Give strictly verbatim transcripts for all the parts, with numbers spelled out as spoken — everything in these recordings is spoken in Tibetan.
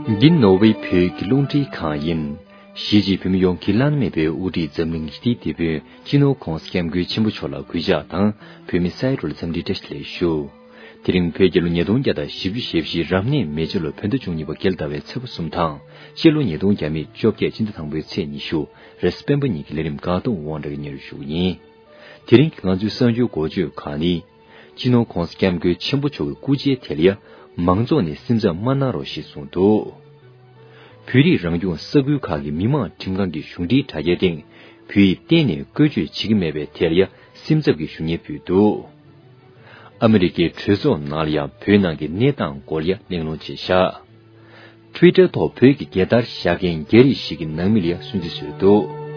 འདི་ནོར་ཝེ་བོད་ཀྱི་རླུང་འཕྲིན་ཁང་ཡིན། གཞིས་བྱེས་བོད་མི་ཡོངས་ཀྱི་བླ་ན་མེད་པའི་དབུ་ཁྲིད་འཛམ་གླིང་ཞི་བདེའི་དེད་དཔོན་སྤྱི་ནོར་༧གོང་ས་༧སྐྱབས་མགོན་ཆེན་པོ་མཆོག་ལ་གུས་ཕྱག་དང་། བོད་མི་ས་ཡ་དྲུག་ལ་འཚམས་འདྲིའི་བཀྲ་ཤིས་བདེ་ལེགས་ཞུ། དེ་རིང་བོད་རྒྱལ་ལོ་ཉིས་སྟོང་བརྒྱ་དང་བཞི་བཅུ་ཞེ་བཞི་རབ་གནས་མེ་བྱ་ལོ་བོད་ཟླ་བཅུ་གཉིས་པ་རྒྱལ་ཟླ་བའི་ཚེས་པ་གསུམ་དང་། ཕྱི་ལོ་ཉིས་སྟོང་བརྒྱ་མེད་བཅོ་བརྒྱད་སྤྱི་ཟླ་དང་པོའི་ཚེས་ཉི་ཤུ་རེས་སྤེན་པ་ཉིན་གྱི་ལས་རིམ་འགག་སྟོང་དབང་གྲགས་ཀྱིས་སྙན་སྒྲོན་ཞུ་གི་ཡིན། དེ་རིང་གི་ང་ཚོའི་གསར་འགྱུར་འགོ་བརྗོད་ཁག་ནི། སྤྱི་ནོར་༧གོང་ས་༧སྐྱབས་མགོན་ཆེན་པོ་མཆོག་གི་སྐུ་ཕྱྭའི་དེད་ལ་ཡ་མང་ཚོགས་ནས་སེམས་འཚབ་མ་གནང་རོགས་ཞེས་གསུངས་འདུག། བོད་རིགས་རང་སྐྱོང་ས་ཁུལ་ཁག་གི་མི་དམངས་ཁྲིམས་ཁང་གི་གཞུང་འབྲེལ་དྲ་རྒྱའི་སྟེང་བོད་ཡིག་གཏན་ནས་བཀོལ་སྤྱོད་བྱེད་ཀྱི་མེད་པའི་དེད་ལ་ཡ་སེམས་འཚབ་ཀྱི་ཞུ་སྙན་ཕུལ་འདུག། ཨ་མི་རི་ཀའི་གྲོས་ཚོགས་ནང་ལ་ཡང་བོད་ནང་གི་གནས་སྟངས་སྐོར་ལ་ཡ་གླེང་སློང་བྱས་བཞག། Twitter་ཐོག་བོད་ཀྱི་རྒྱལ་དར་བཞག་མཁན་རྒྱ་རིགས་ཤིག་གི་ནང་མི་ལ་ཡ་སུན་གཙེར་བཟོས་འདུག།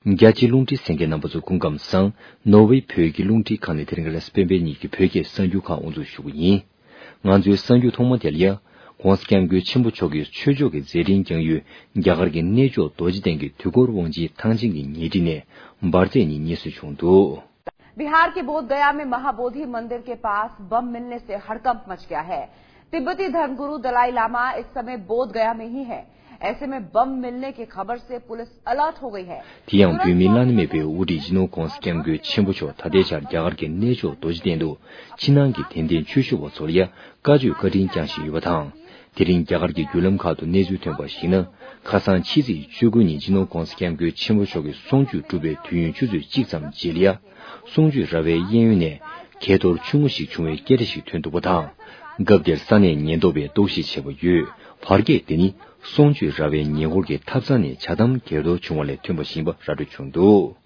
རྒྱ་ཆེའི་རླུང་འཕྲིན་གསན་མཁན་རྣམ་པ་ཚོ་སྐུ་ཁམས་བཟང་། ནོར་ཝེ་བོད་ཀྱི་རླུང་འཕྲིན་ཁང་ནས་དེ་རིང་རེས་སྤེན་པའི་ཉིན་གྱི་བོད་སྐད་གསར་འགྱུར་ཁག་དབུ་འཛུགས་ཞུ་གི་ཡིན། ང་ཚོའི་གསར་འགྱུར་ཐོག་མ་དེ་ལ་ཡ། ༸གོང་ས་༸སྐྱབས་མགོན་ཆེན་པོ་མཆོག་གིས་ཆོས་ཕྱོགས་ཀྱི་མཛད་འཕྲིན་བསྐྱངས་ཡུལ་རྒྱ་གར་གྱི་གནས་མཆོག་རྡོ་རྗེ་གདན་གྱི་དུས་འཁོར་དབང་ཆེན་ཐང་ཆེན་གྱི་ཉེ་འཁྲིས་ནས་འབར་རྫས་གཉིས་རྙེད་སོན་བྱུང་འདུག། बिहार के बोधगया में महाबोधि मंदिर के पास बम मिलने से हड़कंप मच गया है। तिब्बती धर्मगुरु दलाई लामा इस समय बोधगया में ही हैं। ऐसे में बम मिलने की खबर से पुलिस अलर्ट हो गई है। དེ་ཡང་བོད་མིའི་བླ་ན་མེད་པའི་དབུ་ཁྲིད་སྤྱི་ནོར་༸གོང་ས་༸སྐྱབས་མགོན་ཆེན་པོ་མཆོག་ད་ལྟའི་ཆར་རྒྱ་གར་གྱི་གནས་མཆོག་རྡོ་རྗེ་གདན་དུ་ཕྱི་ནང་གི་དད་ལྡན་ཆོས་ཞུ་བ་ཚོ་ལ་ཡ་བཀའ་ཆོས་བཀའ་དྲིན་བསྐྱངས་བཞིན་ཡོད་པ་དང་། དེ་རིང་རྒྱ་གར་གྱི་བརྒྱུད་ལམ་ཁག་ཏུ་གནས་ཚུལ་ཐོན་པར་གཞིགས་ན། ཁ་སང་ཕྱི་ཚེས་བཅུ་དགུ་ཉིན་སྤྱི་ནོར་༸གོང་ས་༸སྐྱབས་མགོན་ཆེན་པོ་མཆོག་གི་གསུང་ཆོས་གྲུབ་པའི་དུས་ཡུན་ཆུ་ཚོད་གཅིག་ཙམ་རྗེས་ལ་ཡ། གསུང་ཆོས་ར་བའི་གཡས་གཡོན་ནས་གས་གཏོར་ཆུང་ངུ་ཞིག་བྱུང་བའི་སྐད་ཆ་ཞིག་ཐོན་འདུག་པ་དང་། སྐབས་དེར་ས་གནས་ཉེན་རྟོག་པས་རྟོག་ཞིབ་བྱས་པར་ཡོད། བར་སྐད་དེ་ནི་གསུང་ཆོས་ར་བའི་ཉེ་འཁོར་གྱི་ཐབ་ཚང་ནས་ཇ་དམ་གས་གཏོར་བྱུང་བ་ལས་ཐོན་པ་ཡིན་པ་ར་སྤྲོད་བྱུང་འདུག།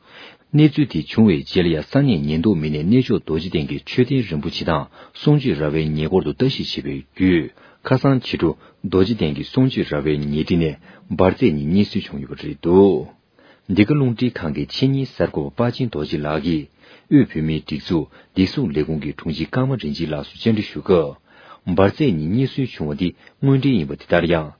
གནས་ཚུལ་དེ་བྱུང་བའི་རྗེས་ལ་ཡ་ས་གནས་ཉེན་རྟོག་མི་སྣས་གནས་མཆོག་རྡོ་རྗེ་གདན་གྱི་མཆོད་རྟེན་རིན་པོ་ཆེ་དང་གསུང་ཆོས་ར་བའི་ཉེ་འཁོར་དུ་ལྟ་ཞིབ་བྱས་པའི་བརྒྱུད། ཁ་སང་ཕྱི་དྲོ་རྡོ་རྗེ་གདན་གྱི་གསུང་ཆོས་ར་བའི་ཉེ་འཁྲིས་ནས་འབར་རྫས་གཉིས་རྙེད་སོན་བྱུང་ཡོད་པ་རེད་འདུག། འདི་ག་རླུང་འཕྲིན་ཁང་གི་ཆེད་གཉེར་གསར་འགོད་པ་དཔའ་ཆེན་རྡོ་རྗེ་ལགས་ཀྱིས་དབུས་བོད་མིའི་སྒྲིག་འཛུགས་བདེ་སྲུང་ལས་ཁུངས་ཀྱི་དྲུང་ཆེ་ཀརྨ་རིན་ཆེན་ལགས་སུ་བཅར་འདྲི་ཞུ་སྐབས། འབར་རྫས་གཉིས་རྙེད་སོན་བྱུང་བ་འདི་དངོས་འབྲེལ་ཡིན་པ་དེ་ལྟར་ཡང་།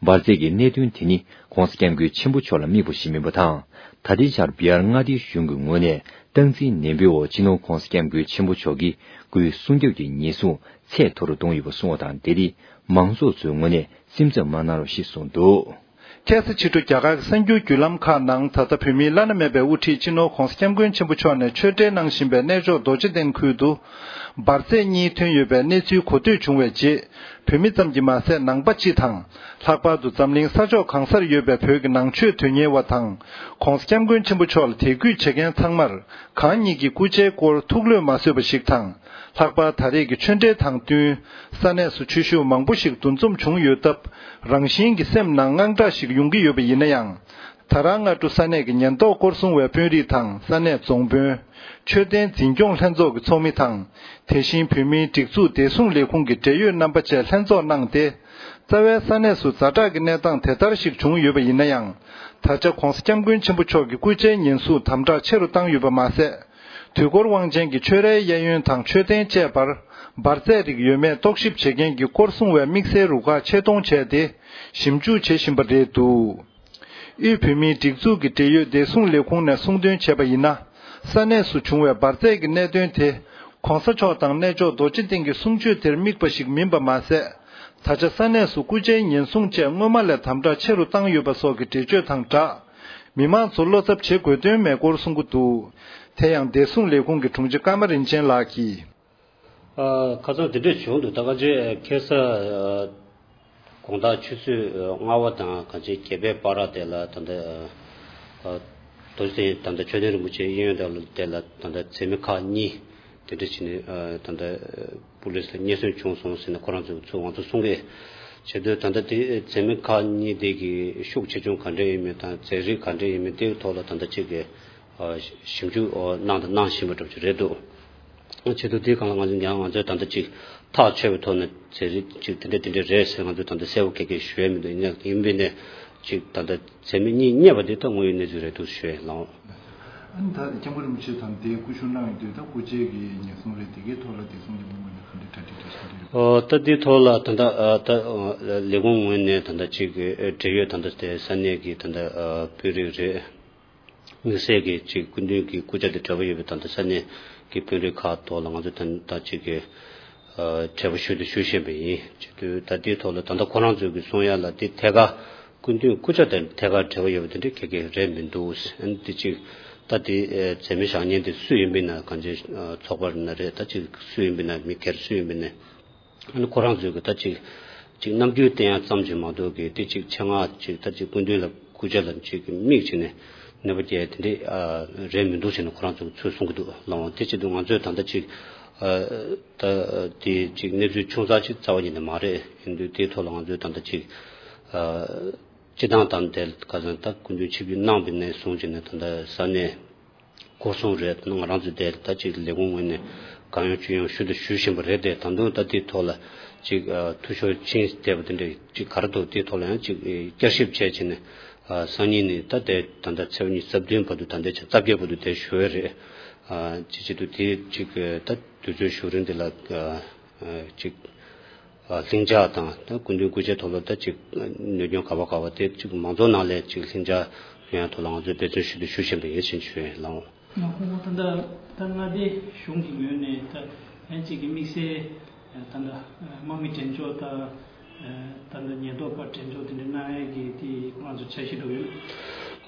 འབར་རྫས་ཀྱི་གནད་དོན་དེ་ནི་༸གོང་ས་༸སྐྱབས་མགོན་ཆེན་པོ་མཆོག་ལ་དམིགས་པ་ཞིག་མིན་པ་དང་། ད་ལྟའི་ཆར་བི་ཧར་མངའ་སྡེའི་གཞུང་གི་ངོས་ནས་སྟངས་འཛིན་ནན་པོའི་འོག་སྤྱི་ནོར་༸གོང་ས་༸སྐྱབས་མགོན་ཆེན་པོ་མཆོག་གི་སྐུའི་སྲུང་སྐྱོབ་ཀྱི་ཉེན་སྲུང་ཚད་མཐོ་རུ་གཏོང་ཡོད་པ་གསུངས་པ་དང་འབྲེལ་ཏེ། མང་ཚོགས་ཚོའི་ངོས་ནས་སེམས་འཚབ་མ་གནང་རོགས་ཞེས་གསུངས་འདུག། ཁ་སང་ཕྱི་དྲོ་རྒྱ་གར་གྱི་གསར་འགྱུར་བརྒྱུད་ལམ་ཁག་ནང་ད་ལྟ་བོད་མིའི་བླ་ན་མེད་པའི་དབུ་ཁྲིད་སྤྱི་ནོར་༸གོང་ས་༸སྐྱབས་མགོན་ཆེན་པོ་མཆོག་ནས་ཆོས་འབྲེལ་གནང་བཞིན་པའི་གནས་མཆོག་རྡོ་རྗེ་གདན་ཁུལ་དུ་འབར་རྫས་གཉིས་ཐོན་ཡོད་པའི་གནས་ཚུལ་གོ་ཐོས་བྱུང་བའི་རྗེས། བོད་མི་ཙམ་གྱིས་མ་ཟད་ནང་པ་སྤྱི་དང་། ལྷག་པར་དུ་འཛམ་གླིང་ས་ཕྱོགས་གང་སར་ཡོད་པའི་བོད་ཀྱི་ནང་ཆོས་དོན་གཉེར་བ་དང་། ༸གོང་ས་༸སྐྱབས་མགོན་ཆེན་པོ་མཆོག་ལ་དད་གུས་བྱེད་མཁན་ཚང་མར་གང་ཉིད་ཀྱི་སྐུ་ཕྱྭའི་སྐོར་ཐུགས་བློས་མ་བཟོད་པ་ཞིག་དང་། ལྷག་པར་ད་རེས་ཀྱི་ཆོས་འབྲེལ་དང་བསྟུན། ས་གནས་སུ་ཆོས་ཞུ་བ་མང་པོ་ཞིག་འདུ་འཛོམས་བྱུང་ཡོད་སྟབས། རང་བཞིན་གྱིས་སེམས་ནང་དངངས་སྐྲག་ཞིག་ཡོང་གི་ཡོད་པ་ཡིན་ན་ཡང་། ད་རང་སྔ་དྲོ་ས་གནས་ཀྱི་ཉེན་རྟོག་སྐོར་སྲུང་བའི་དཔོན་རིགས་དང་ས་གནས་རྫོང་དཔོན། ཆོས་ལྡན་འཛིན་སྐྱོང་ལྷན་ཚོགས་ཀྱི་ཚོགས་མི་དང་། དེ་བཞིན་བོད་མིའི་སྒྲིག་འཛུགས་བདེ་སྲུང་ལས་ཁུངས་ཀྱི་འབྲེལ་ཡོད་རྣམ་པ་བཅས་ལྷན་ཚོགས་གནང་སྟེ། རྩ་བའི་ས་གནས་སུ་ཛ་དྲག་གི་གནས་སྟངས་དེ་ལྟར་ཞིག་བྱུང་ཡོད་པ་ཡིན་ན་ཡང་། ད་ཆ་༸གོང་ས་༸སྐྱབས་མགོན་ཆེན་པོ་མཆོག་གི་སྐུ་ཕྱྭའི་ཉེན་སྲུང་དམ་དྲག་ཆེ་རུ་བཏང་ཡོད་པ་མ་ཟད། དུས་འཁོར་དབང་ཆེན་གྱི་ཆོས་རའི་གཡས་གཡོན་དང་མཆོད་རྟེན་བཅས་པར་འབར་རྫས་རིགས་ཡོད་མེད་རྟོག་ཞིབ་བྱེད་མཁན་གྱི་སྐོར་སྲུང་བའི་དམིགས་བསལ་རུ་ཁག་ཆེད་གཏོང་བྱས་ཏེ། ཞིབ་འཇུག་བྱེད་བཞིན་པ་རེད་འདུག། དབུས་བོད་མིའི་སྒྲིག་འཛུགས་ཀྱི་འབྲེལ་ཡོད་བདེ་སྲུང་ལས་ཁུངས་ནས་གསུངས་དོན་བྱས་པ་ཡིན་ན། ས་གནས་སུ་བྱུང་བའི་འབར་རྫས་ཀྱི་གནད་དོན་དེ། ༸གོང་ས་མཆོག་དང་གནས་མཆོག་རྡོ་རྗེ་གདན་གྱི་གསུང་ཆོས་དེར་དམིགས་པ་ཞིག་མིན་པ་མ་ཟད། ད་ཆ་ས་གནས་སུ་སྐུ་ཕྱྭའི་ཉེན་སྲུང་བཅས་སྔོན་མ་ལས་དམ་དྲག་ཆེ་རུ་བཏང་ཡོད་པ་སོགས་ཀྱི་འགྲེལ་བརྗོད་དང་སྦྲགས། མི་མང་ཚོ་བློ་འཚབ་བྱེད་དགོས་དོན་མེད་སྐོར་གསུང་གི་འདུག། དེ་ཡང་བདེ་སྲུང་ལས་ཁུངས་ཀྱི་དྲུང་ཆེ་ཀརྨ་རིན་ཆེན་ལགས་ཀྱིས། ཨ། ཁ་སང་དེ་འདྲས་བྱུང་འདུག། ད་ག་ཅེ་ཁ་སང་དགོང་དག་ཆུ་ཚོད་ལྔ་པ་དང་ག་ཅེ་བརྒྱད་པའི་བར་དེ་ལ་ད་ལྟ་ཨ། རྡོ་རྗེ་གདན་ད་ལྟ་མཆོད་རྟེན་རིན་པོ་ཆེ་གཡས་གཡོན་དེ་ལ་ད་ལྟ་འཛད་མེད་ཁག་གཉིས་དེ་འདྲས་བྱས་ནས་ཨ། ད་ལྟ་པུ་ལིས་ལ་རྙེད་སོན་བྱུང་སོང་ཟེར་ནས་ཁོ་རང་ཚོས་ཚུར་ང་ཚོ་གསུང་གི་བྱེད་དུས། ད་ལྟ་དེ་འཛད་མེད་ཁག་གཉིས་དེ་གི་ཤུགས་ཆེ་ཆུང་ག་འདྲས་ཡིན་མིན་དང་རྫས་རིགས་ག་འདྲས་ཡིན་མིན་དེའི་ཐོག་ལ་ད་ལྟ་ཅིག་གི་ཞིབ་འཇུག་གནང་དང་གནང་བཞིན་པ་འདྲ་པོ་ཅིག་རེད་འདུག། བྱེད་དུས་དེའི་སྒང་ལ་ང་ཚོ་ཡང་ང་ཚོས་ད་ལྟ་ཅིག་ཐག་ཆོད་པའི་ཐོག་ནས་རྫས་རིགས་ཅིག་དེ་འདྲ་དེ་འདྲ་རེད་ཟེར་ང་ཚོས་ད་ལྟ་གསལ་པོ་ག་གེ་ཞུ་ཡ་མི་འདུག། ཡིན་ན་ཡིན་པས་ནས་ཅིག་ད་ལྟ་འཛད་མེད་གཉིས་རྙེད་པ་དེ་ད་དངོས་ཡོད་གནས་ཚུལ་རེད་འདུག་ཞུ་ཡ་ལགས། ཨ་ནི་ད་སྐྱབས་མགོན་རིན་པོ་ཆེ་དང་དེའི་སྐུ་ཞབས་གནང་ཡོད་དུས་ད་སྐུ་ཕྱྭའི་གི་ཉེན་སྲུང་རེད། དེ་གའི་ཐོག་ལ་བདེ་སྲུང་ལས་ཁུངས་ངོས་ནས་ག་འདྲ་གྲ་སྒྲིག་གྲ་བཞིན་རེད། ཨོ། ད་འདིའི་ཐོག་ལ་ད་ལྟ་ཨ་ད་ཨ་ལས་ཁུངས་ངོས་ནས་ད་ལྟ་ཅིག་ཨ་འབྲེལ་ཡོད་ད་ལྟ་དེ་ས་གནས་ཀྱི་ད་ལྟ་ཨ་དཔོན་རིགས་རེད། དམིགས་བསལ་གྱི་ཅིག་སྐུ་མདུན་གྱི་སྐུ་ཕྱྭ་དང་འབྲེལ་བ་ཡོད་པའི་ད་ལྟ་ས་གནས་ཀྱི་དཔོན་རིགས་ཁག་ཐོག་ལ་ང་ཚོ་ད་ད་ཅིག་གི་ཨ་འབྲེལ་བ་ཞུ་དང་ཞུ་བཞིན་པ་ཡིན། བྱེད་དུས་ད་ལྟའི་ཐོག་ལ་ད་ལྟ་ཁོ་རང་ཚོས་ཀྱི་གསུང་ཡ་ལ་དེ་ཐད་ཀར་སྐུ་མདུན་སྐུ་ཕྱྭ་དང་ཐད་ཀར་འབྲེལ་བ་ཡོད་པ་དེ་འདྲ་ག་གེ་རེད་མི་འདུག་ཨ་ནི་དེ་ཅིག་ད་དེ་ཨ་མཛད་མི་བཞག་མཁན་དེ་སུ་ཡིན་པ་ཡིན་ན། གང་ཅི་ཨ་ཚོགས་པ་ཡིན་ན་རེད། ད་ཅིག་སུ་ཡིན་པ་ཡིན་ན། མི་སྒེར་སུ་ཡིན་པ་ཡིན་ན། ཨ་ནི་ཁོ་རང་ཚོས་ཀྱི་ད་ཅིག་ཅིག་རྣམ་འགྱུར་བསྟན་ཡ་ཙམ་ཅིག་མ་གཏོགས་ཀྱི་དེ་ཅིག་ཆེད་མངགས་ཅིག་ད་ཅིག་སྐུ་མདུན་ལ་སྐུ་ཕྱྭ་ལ་ཅིག་མིག་ཅིག་ནས་གནོད་པ་སྐྱེལ་དེ་འདྲ་ཨ་རེད་མི་འདུག་ཟེར་ནས་ཁོ་རང་ཚོས་ཚུར་གསུང་གི་འདུག་ལགས། འོ་དེ་བྱེད་དུས་ང་ཚོས་ད་ལྟ་ཅིག་ཨ་ད་དེ་ཅིག་གནས་ཚུལ་ཆུང་ཙག་ཅིག་རྩ་བ་ཉིད་ནས་མ་རེད། ཡིན་དུས་དེའི་ཐོག་ལ་ང་ཚོས་ད་ལྟ་ཅིག་ཨ་སྤྱི་བཏང་ད་དེ་ཁ་སང་ད་སྐུ་མདུན་ཆིབས་བསྒྱུར་གནང་བ་ནས་བཟུང་བྱས་ནས་ད་ལྟ་ས་གནས་སྐོར་སྲུང་རེད། ང་རང་ཚོ་དེ་ད་ཅིག་ལས་ཁུངས་ངོས་ནས་གང་ཡོང་ཅི་ཡོང་ཞུ་དང་ཞུ་བཞིན་པ་རེད། དེ་ད་དུང་ད་དེའི་ཐོག་ལ་ཅིག་ཨ་འཐུས་ཤོར་ཕྱིན་བསྡད་པ་དེ་འདྲ་ཅིག་ག་རེ་འདུག་དེའི་ཐོག་ལ་ཡང་ཅིག་ཨེ་བསྐྱར་ཞིབ་བྱས་བྱས་ནས་ཨ་སང་ཉིན་ནས་ད་དེ་ད་ལྟ་ཚེས་པ་ཉི་ཤུ་རྩ་བདུན་བར་དུ། ད་ལྟའི་ཆ་རྩ་བརྒྱད་བར་དུ་དེ་ཞུ་ཡས་རེད། ཨ་ཅིག་བྱེད་དུས་དེ་ཅིག་ཨ་ད་དུས་ཚོད་ཞུ་རིང་དེ་ལ་ཨ་ཨ་ཅིག་ཨ་ལྷིང་འཇགས་དང་ད་སྐུ་མདུན་སྐུ་ཕྱྭའི་ཐོག་ལ་ད་ཅིག་གནོད་སྐྱོན་ག་བ་ག་བ་དེ་ཅིག་མང་ཚོགས་ནང་ལ་ཅིག་ལྷིང་འཇགས་ཡོང་ཡ་ཐོག་ལ་ང་ཚོས་འབད་བརྩོན་ཞུ་དང་ཞུ་བཞིན་པ་ཡིན་ཟེར་ཞུ་ཡིན་ལགས། ང་ཁོང་ད་ལྟ་ད་མངའ་སྡེ་གཞུང་གི་ངོས་ནས་ད་ཡང་ཅིག་གི་དམིགས་བསལ་ད་ལྟ་དམག་མི་འགྲེམས་འཇོག་དང་ད་ལྟ་ཉེན་རྟོག་པ་འགྲེམས་འཇོག་དེ་འདྲ་གནང་ཡས་ཀྱི་དེ་ཁོ་རང་ཚོ་འཆར་གཞི་འདྲ་ཡོད།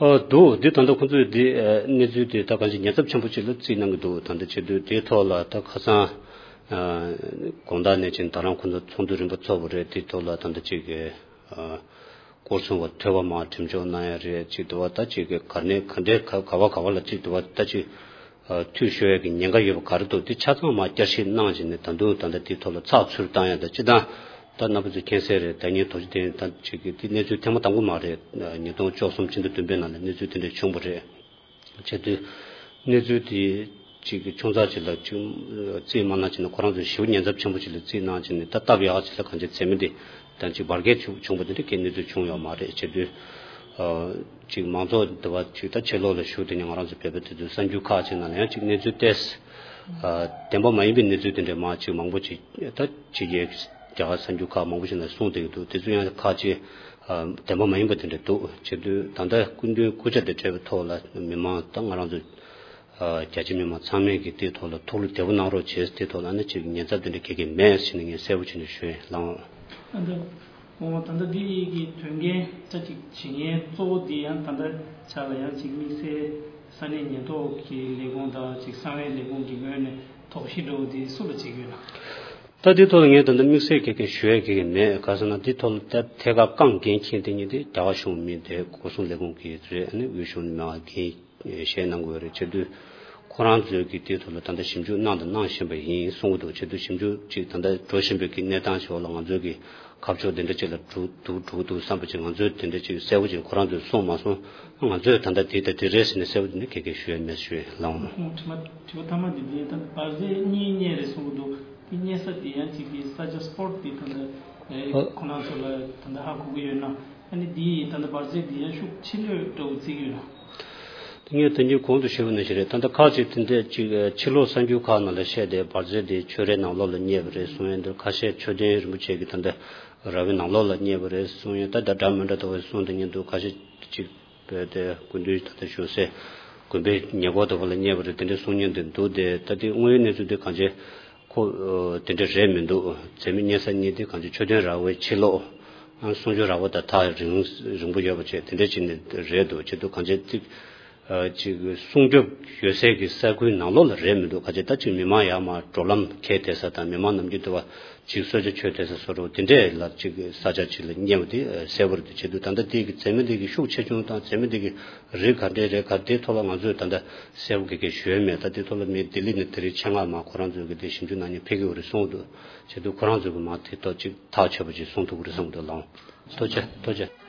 ཨ་འདུག་འདི་ད་ལྟ་ཁོང་ཚོས་འདི་ཨ་གནས་ཚུལ་དེ་ད་གང་ཅི་ཉེན་ཚབས་ཆེན་པོ་ཅིག་ལ་བརྩིས་གནང་གི་འདུག་ད་ལྟ་བྱེད་དུས་དེའི་ཐོག་ལ་ད་ཁ་སང་ཨ་དགོང་དག་ནས་ཅིག་ད་རང་ཁོང་ཚོ་ཚོགས་འདུ་རིམ་པ་ཚོགས་པ་རེད། དེའི་ཐོག་ལ་ད་ལྟ་ཅིག་གི་ཨ་སྐོར་སྲུང་བ་ཐོས་པ་མར་འགྲེམས་འཇོག་གནང་ཡ་རེད། ཅིག་དུ་བ་ད་ཅིག་གི་ག་ནས་ག་འདྲའི་ག་ག་བ་ག་བ་ལ་ཅིག་དུ་བ་ད་ཅིག་ཨ་འཐུས་ཤོར་ཡ་གི་ཉེན་ཁ་ཡོད་པ་ག་རེ་འདུག་དེ་ཆ་ཚང་མར་བསྐྱར་ཞིབ་གནང་བྱས་ནས་ད་དུང་ད་ལྟ་དེའི་ཐོག་ལ་ཚགས་ཚུད་བཏང་ཡ་ད་སྤྱི་བཏང་ད་རྣམ་པ་ཚོས་མཁྱེན་གསལ་རེད། ད་ཉིན་དོ་ཅི་དེ་ད་ཅིག་གི་དེ་གནས་ཚུལ་ཐེངས་མ་དང་པོ་མ་རེད། ཉིས་སྟོང་བཅུ་གསུམ་ཕྱི་ཟླ་བདུན་པའི་ནང་ལ་གནས་ཚུལ་དེ་འདྲ་བྱུང་བ་རེད། བྱས་དུས་གནས་ཚུལ་དེ་ཅིག་ཆུང་ཙག་ཅིག་ལ་ཅིག་རྩིས་མ་གནང་བྱས་ནས་ཁོ་རང་ཚོས་ཞེ་པོ་ཉེན་ཚབས་ཆེན་པོ་ཅིག་ལ་རྩིས་གནང་བྱས་ནས་ད་སྟབས་ཡག་ཅིག་ལ་གང་ཅི་མཛད་མི་དེ་ད་ཅིག་བར་བརྒལ་བྱུང་བྱུང་བ་དེ་འདྲ་གའི་གནས་ཚུལ་བྱུང་ཡོད་མ་རེད། བྱས་དུས་ཨ་ཅིག་མང་ཚོགས་འདི་བ་ཅིག་ད་ཕྱི་ལོགས་ལ་བཞུགས་དེ་ནས་ང་རང་ཚོ་བོད་པ་དེ་ཚོའི་གསར་འགྱུར་ཁག་ཅིག་ནང་ལ་ཡང་ཅིག་གནས་ཚུལ་ཏོག་ཙམ་ཨ་བདེན་པ་མ་ཡིན་པའི་གནས་ཚུལ་དེ་འདྲ་མང་ཅིག་མང་པོ་ཅིག་ད་ཕྱི་རྒྱལ་རྒྱ་གར་གསར་འགྱུར་ཁག་མང་པོ་ཞིག་ནང་གསུངས་བསྡད་ཀྱི་འདུག་དེ་ཚོ་ཡང་ཁག་ཅིག་ཨ་བདེན་པ་མ་ཡིན་པ་དེ་འདྲ་འདུག་བྱེད་དུས་ད་ལྟ་སྐུ་མདུན་སྐུ་ཕྱྭ་དང་འབྲེལ་བའི་ཐོག་ལ་མི་མང་ད་ང་རང་ཚོ་ཨ་རྒྱ་ཆེ་མི་མང་ཚང་མས་ཀྱི་དེའི་ཐོག་ལ་ཐུགས་བློ་བདེ་པོ་གནང་རོགས་བྱེད། དེའི་ཐོག་ལ་ཨ་ནི་ཅིག་ཉེན་ཚབས་དེ་འདྲ་ག་གེ་མེད་ཟེར་ནས་ངས་གསལ་པོ་བྱས་ནས་ཞུ་ཡིན་ལགས། ཨ་ད་འོ་ད་ལྟ་འདི་ཡི་གི་དོན་རྐྱེན་ད་ཅིག་བྱེད་མཁན་གཙོ་བོ་འདི་ཡང་ད་ལྟ་ཆ་ལ་ཡང་ཅིག་དམིགས་བསལ་ས་གནས་ཉེན་རྟོག་གི་ལས་ཁུངས་དང་ཅིག་གསང་བའི་ལས་ཁུངས་ཀྱི་ངོས་ནས་དོགས་གཞི་འདྲ་བོ་འདི་སུ་ལ་བྱེད་ཀྱི་ཡོད་ན། ད་དེ་ཐོག་ལ་ངས་ད་ལྟ་དམིགས་བསལ་གྱི་གི་ཞུ་ཡས་གི་གི་མེད། ག་ཟེར་ན་དེ་ཐོག་ལ་ད་ཐད་ཀར་རྐང་འགན་འཁྱེར་དེ་ཉིད་དེ་རྒྱ་གར་གཞུང་མི་དེ་སྐོར་སྲུང་ལས་ཁུངས་ཀྱི་རེད། ཨ་ནི་དབུས་གཞུང་ནས་མ་འགན་བཞེས་གནང་དགོས་རེད། བྱེད་དུས་ཁོ་རང་ཚོས་ཀྱི་དེ་ཐོག་ལ་ད་ལྟ་ཞིབ་འཇུག་གནང་དང་གནང་བཞིན་པ་ཡིན་གསུང་གི་འདུག་བྱེད་དུས་ཞིབ་འཇུག་ཅིག་ད་ལྟ་འགྲོ་བཞིན་པའི་གི་གནས་སྟངས་ཤིག་འོག་ལ་ང་ཚོས་ཀྱི་ཁ་ཕྱོགས་དེ་འདྲ་ཅིག་ལ་འགྲོ་འགྲོ་འགྲོ་འདུག་བསམ་པ་ཅིག་ང་ཚོས་དེ་འདྲ་ཅིག་གསལ་པོ་ཅིག་ཁོ་རང་ཚོས་གསུངས་མ་སོང་། ང་ཚོས་ད་ལྟ་དེ་ད་དེ་རེད་ཟེར་ནས་གསལ་པོ་དེ་འདྲ་ག་གེ་ཞུ་ཡས་མེད་ཞུ་ཡས་ལགས། ཁོང་དྲི་མ་དྲི་བ་ཐ་མ་འདི་འདི་ད་འབར་རྫས་གཉིས་རྙེད་རེད་གསུང་གི་འདུག་དེ་རྙེད་ས་དེ་ཡང་ཅིག་གི་ས་ཆ་སྤོ་ཊི་དེ་ད་ལྟ་ཨེ་ཨ་ཁོང་རྣམ་ཚོ་ལ་ད་ལྟ་ཧ་གོ་གི་ཡོད་ན། ཨ་ནི་དེ་ཡི་ད་ལྟ་འབར་རྫས་དེ་ཡང་ཤུགས་ཆེ་ལོས་འདྲ་བོ་བརྩི་གི་ཡོད་ན། དེ་ངས་དོན་གྱི་གོང་དུ་ཞུས་པ་ནང་བཞིན་རེད། ད་ལྟ་ཁག་ཅིག་དེ་འདྲས་ཅིག་ཕྱི་ལོགས་གསར་འགྱུར་ཁག་ནང་ལ་བཤད་དེ་འབར་རྫས་དེ་ཆོས་རའི་ནང་ལོགས་ལ་རྙེད་པ་རེད་གསུང་ཡས་འདུག་ཁ་ཤས་མཆོད་རྟེན་རིན་པོ་ཆེ་གི་ད་ལྟ་ར་བའི་ནང་ལོགས་ལ་རྙེད་པ་རེད་གསུང་ཡས། ད་ད་འདྲ་མི་འདྲ་ལྟ་བུ་གསུང་དེ་ཉིད་འདུག་ཁ་ཤས་ཅིག་བོད་དེ་སྐུ་མདུན་ད་ལྟ་བཞུགས་སའི་དགོན་པའི་ཉེ་འཁོར་དུ་བ་ལ་རྙེད་པ་རེད། དེ་འདྲའི་གསུང་མཁན་དེ་འདུག་དེ་ད་དེ་དངོས་ཡོད་གནས་ཚུལ་དེ་གང་ཅི་ཁོ་ཨ་དེ་འདྲ་རེད་མི་འདུག་མཛད་མི་རྙེད་ས་གཉིས་དེ་གང་ཅི་མཆོད་རྟེན་ར་བའི་ཕྱི་ལོགས་ཨ་གསུང་ཆོས་ར་བ་དང་ཐག་རིང་རིང་པོ་ཡོད་པ་བྱས་དེ་འདྲ་ཅིག་ནས་རེད་འདུག་བྱེད་དུས་གང་ཅི་ཅིག་ཨ་ཅིག་སྲུང་སྐྱོབ་ཡོད་སའི་གི་ས་ཁུལ་ནང་ལོགས་ལ་རེད་མི་འདུག་གང་ཅི་ད་ཅིག་མི་མང་ཡར་མར་འགྲོ་ལམ་འཁེལ་བསྡད་ས་དང་མི་མང་ནམ་རྒྱུན་དུ་བ་ཅིག་གསོལ་ཇ་མཆོད་བསྡད་ས་བཟོ་འདྲ་དེ་འདྲས་ལ་ཅིག་ས་ཆ་ཅིག་ལ་རྙེད་པ་དེ་གསལ་པོ་རེད། དེ་བྱེད་དུས་ད་ལྟ་དེ་གི་མཛད་མི་དེ་གི་ཤུགས་ཆེ་ཆུང་དང་མཛད་མི་དེ་གི་རིགས་ག་འདྲས་རེད་ག་དེའི་ཐོག་ལ་ང་ཚོས་ད་ལྟ་གསལ་པོ་གི་གི་ཞུ་ཡ་མེད། ད་དེ་ཐོག་ལ་མི་ལྡི་ལི་ནས་དེ་རིང་ཆེད་མངགས་མ་ཁོ་རང་ཚོས་གི་དེ་ཞིབ་འཇུག་གནང་མཁན་ཕེབས་ཀྱི་ཡོད་རེད་གསུངས་འདུག་བྱེད་དུས་ཁོ་རང་ཚོས་གི་མ་དེ་ཐོག་ཅིག་ཐག་ཆོད་པོ་ཅིག་གསུང་ཐུབ་ཀྱི་རེད་བསམ་གི་འདུག་ལགས། ཐུགས་རྗེ་ཐུགས་རྗེ།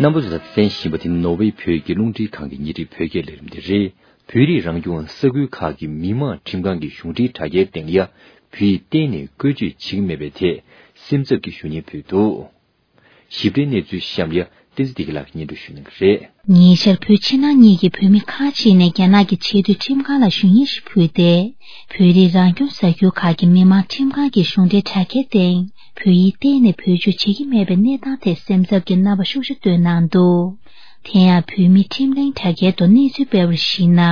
རྣམ་པ་ཚོས་གསན་བཞིན་པ་དེ་ནོར་ཝེ་བོད་ཀྱི་རླུང་འཕྲིན་ཁང་གི་ཉིན་རེའི་བོད་སྐད་ལས་རིམ་དེ་རེད། བོད་རིགས་རང་སྐྱོང་ས་ཁུལ་ཁག་གི་མི་དམངས་ཁྲིམས་ཁང་གི་གཞུང་འབྲེལ་དྲ་རྒྱའི་སྟེང་ཡ། བོད་ཡིག་གཏན་ནས་བཀོལ་སྤྱོད་བྱེད་ཀྱི་མེད་པའི་ཐད་སེམས་འཚབ་ཀྱི་ཞུ་སྙན་ཕུལ་འདུག། ཞིབ་ཕྲའི་གནས་ཚུལ་གཤམ་ལ་བསྟན་འཛིན་བདེ་སྐྱིད་ལགས་ཀྱིས་སྙན་སྒྲོན་ཞུ་གནང་གི་རེད། ཉེ་ཆར་བོད་ཕྱི་ནང་གཉིས་ཀྱི་བོད་མི་ཁག་ཅིག་ནས་རྒྱ་ནག་གི་ཆེས་མཐོའི་ཁྲིམས་ཁང་ལ་ཞུ་སྙན་ཞིག་ཕུལ་ཏེ། བོད་རིགས་རང་སྐྱོང་ས་ཁུལ་ཁག་གི་མི་དམངས་ཁྲིམས་ཁང་གི་གཞུང་འབྲེལ་དྲ་རྒྱའི་སྟེང་བོད་ཡིག་གཏན་ནས་བེད་སྤྱོད་བྱེད་ཀྱི་མེད་པའི་གནས་སྟངས་ཐད་སེམས་འཚབ་ཀྱི་རྣམ་པ་ཤུགས་ཆེ་བཏོན་གནང་འདུག། དེ་ཡང་བོད་མིའི་ཁྲིམས་གླེང་དྲ་རྒྱའི་ཐོག་གནས་ཚུལ་སྤེལ་བར་གཞིགས་ན།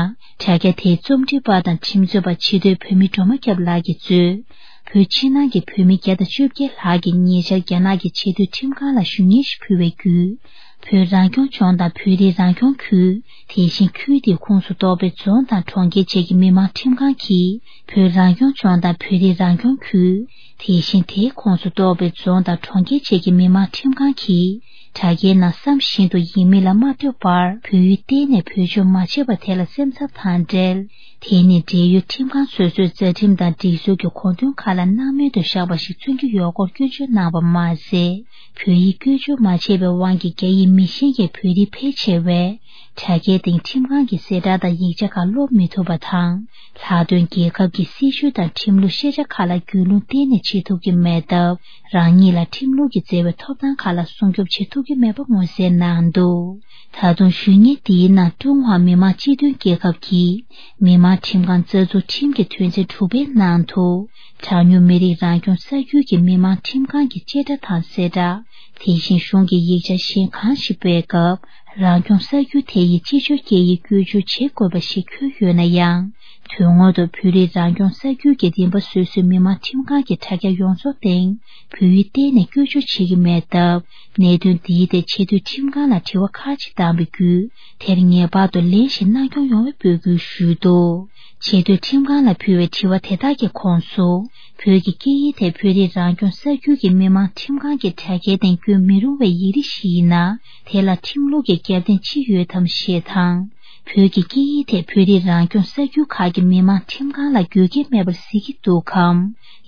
དྲ་རྒྱ་དེའི་རྩོམ་སྒྲིག་པ་དང་ཁྲིམས་རྩོད་པ་ཕྱི་དྲོའི་བོད་མི་སྒྲོལ་མ་སྐྱབས་ལགས་ཀྱིས་གཙོས། བོད་ཕྱི་ནང་གི་བོད་མི་བརྒྱ་དང་བཅོ་བརྒྱད་ལྷག་གིས་ཉེ་ཆར་རྒྱ་ནག་གི་ཆེས་མཐོའི་ཁྲིམས་ཁང་ལ་ཞུ་སྙན་ཞིག་ཕུལ་བའི་བརྒྱུད། བོད་རང་སྐྱོང་ལྗོངས་དང་བོད་རིགས་རང་སྐྱོང་ཁུལ། དེ་བཞིན་ཁུལ་དེའི་ཁོངས་སུ་གཏོགས་པའི་རྫོང་དང་གྲོང་ཁྱེར་བཅས་ཀྱི་མི་དམངས་ཁྲིམས་ཁང་གིས། བོད་རང་སྐྱོང་ལྗོངས་དང་བོད་རིགས་རང་སྐྱོང་ཁུལ། དེ་བཞིན་དེའི་ཁོངས་སུ་གཏོགས་པའི་རྫོང་དང་གྲོང་ཁྱེར་བཅས་ཀྱི་མི་དམངས་ཁྲིམས་ཁང་གིས། དྲ་རྒྱའི་ནང་བསམ་བཞིན་དུ་ཡིན་མིན་ལ་མ་ལྟོས་པར་བོད་ཡིག་གཏན་ནས་བེད་སྤྱོད་མ་བྱས་པ་དེ་ལ་སེམས་འཚབ་དང་འབྲེལ། དེ་ནི་འབྲེལ་ཡོད་ཁྲིམས་ཁང་སོ་སོའི་རྩ་ཁྲིམས་དང་སྒྲིག་སྲོལ་གྱི་དགོངས་དོན་ཁག་ལ་སྣང་མེད་དུ་བཞག་པ་ཞིག་མཚོན་གྱི་ཡོད་སྐོར་སྐྱོན་བརྗོད་གནང་བ་མ་ཟད། བོད་ཡིག་བཀོལ་སྤྱོད་མ་བྱས་པའི་དབང་གིས་རྒྱ་ཡིག་མི་ཤེས་མཁན་བོད་རིགས་ཕལ་ཆེ་བས། དྲ་རྒྱའི་སྟེང་ཁྲིམས་ཁང་གི་གསལ་བསྒྲགས་དང་ཡིག་ཆ་ཁག་ཀློག་མི་ཐུབ་པ་དང་། ལྷག་དོན་རྒྱལ་ཁབ་ཀྱི་སྲིད་བྱུས་དང་ཁྲིམས་ལུགས་ཤེས་བྱ་ཁག་ལ་རྒྱུས་ལོན་གཏན་ནས་བྱེད་ཐུབ་ཀྱི་མེད་སྟབས། རང་ཉིད་ལ་ཁྲིམས་ལུགས་ཀྱི་བརྩེ་བའི་ཐོབ་ཐང་ཁག་ལ་སྲུང་སྐྱོབ་བྱེད་ཐུབ་ཀྱི་མེད་པ་མངོན་གསལ་གནང་འདུག། ད་དུང་ཞུ་སྙན་འདིའི་ནང་ཀྲུང་ཧྭ་མི་དམངས་སྤྱི་མཐུན་རྒྱལ་ཁབ་ཀྱི་མི་དམངས་ཁྲིམས་ཁང་རྩ་འཛུགས་ཁྲིམས་ཀྱི་དོན་ཚན་དྲུག་པའི་ནང་དུ། གྲངས་ཉུང་མི་རིགས་རང་སྐྱོང་ས་ཁུལ་གྱི་མི་དམངས་ཁྲིམས་ཁང་གི་བཅད་ཁྲ་དང་གསལ་བསྒྲགས། དེ་བཞིན་གཞུང་གི་ཡིག་ཆ་གཞན་གང་ཞིག་སྤེལ་སྐབས། རང་སྐྱོང་ས་ཁུལ་དེ་ཡི་སྤྱི་སྤྱོད་སྐད་ཡིག་བཀོལ་སྤྱོད་བྱེད་དགོས་པ་ཞིག་འཁོད་ཡོད་ན་ཡང་། དོན་དངོས་ཐོག་བོད་རིགས་རང་སྐྱོང་ས་ཁུལ་གྱི་རིམ་པ་སོ་སོའི་མི་དམངས་ཁྲིམས་ཁང་གི་དྲ་རྒྱ་ཡོངས་རྫོགས་སྟེང་བོད་ཡིག་གཏན་ནས་བཀོལ་སྤྱོད་བྱེད་ཀྱི་མེད་སྟབས། གནད་དོན་འདིའི་ཐད་ཆེས་མཐོའི་ཁྲིམས་ཁང་ལ་དྲི་བ་ཁག་ཅིག་བཏང་བའི་བརྒྱུད། དེར་ངེས་པར་དུ་ལན་ཞིག་གནང་སྐྱོང་ཡོང་བའི་འབོད་སྐུལ་ཞུས་འདུག། ཆེས་མཐོའི་ཁྲིམས་ཁང་ལ་ཕུལ་བའི་དྲི་བ་དེ་དག་གི་ཁོངས་སུ། བོད་ཀྱི་སྐད་ཡིག་དེ་བོད་རིགས་རང་སྐྱོང་ས་ཁུལ་གྱི་མི་དམངས་ཁྲིམས་ཁང་གི་དྲ་རྒྱའི་སྟེང་བཀོད་མི་རུང་བའི་ཡིག་རིགས་ཤིག་ཡིན་ན། དེ་ལ་ཁྲིམས་ལུགས་ཀྱི་རྒྱབ་རྟེན་ཅི་ཡོད་དམ་ཞེས་དང་། བོད་ཀྱི་སྐད་ཡིག་དེ་བོད་རིགས་རང་སྐྱོང་ས་ཁུལ་ཁག་གི་མི་དམངས་ཁྲིམས་ཁང་ལ་དགོས་གལ་མེད་པར་གཟིགས་ཀྱི་འདུག་གམ།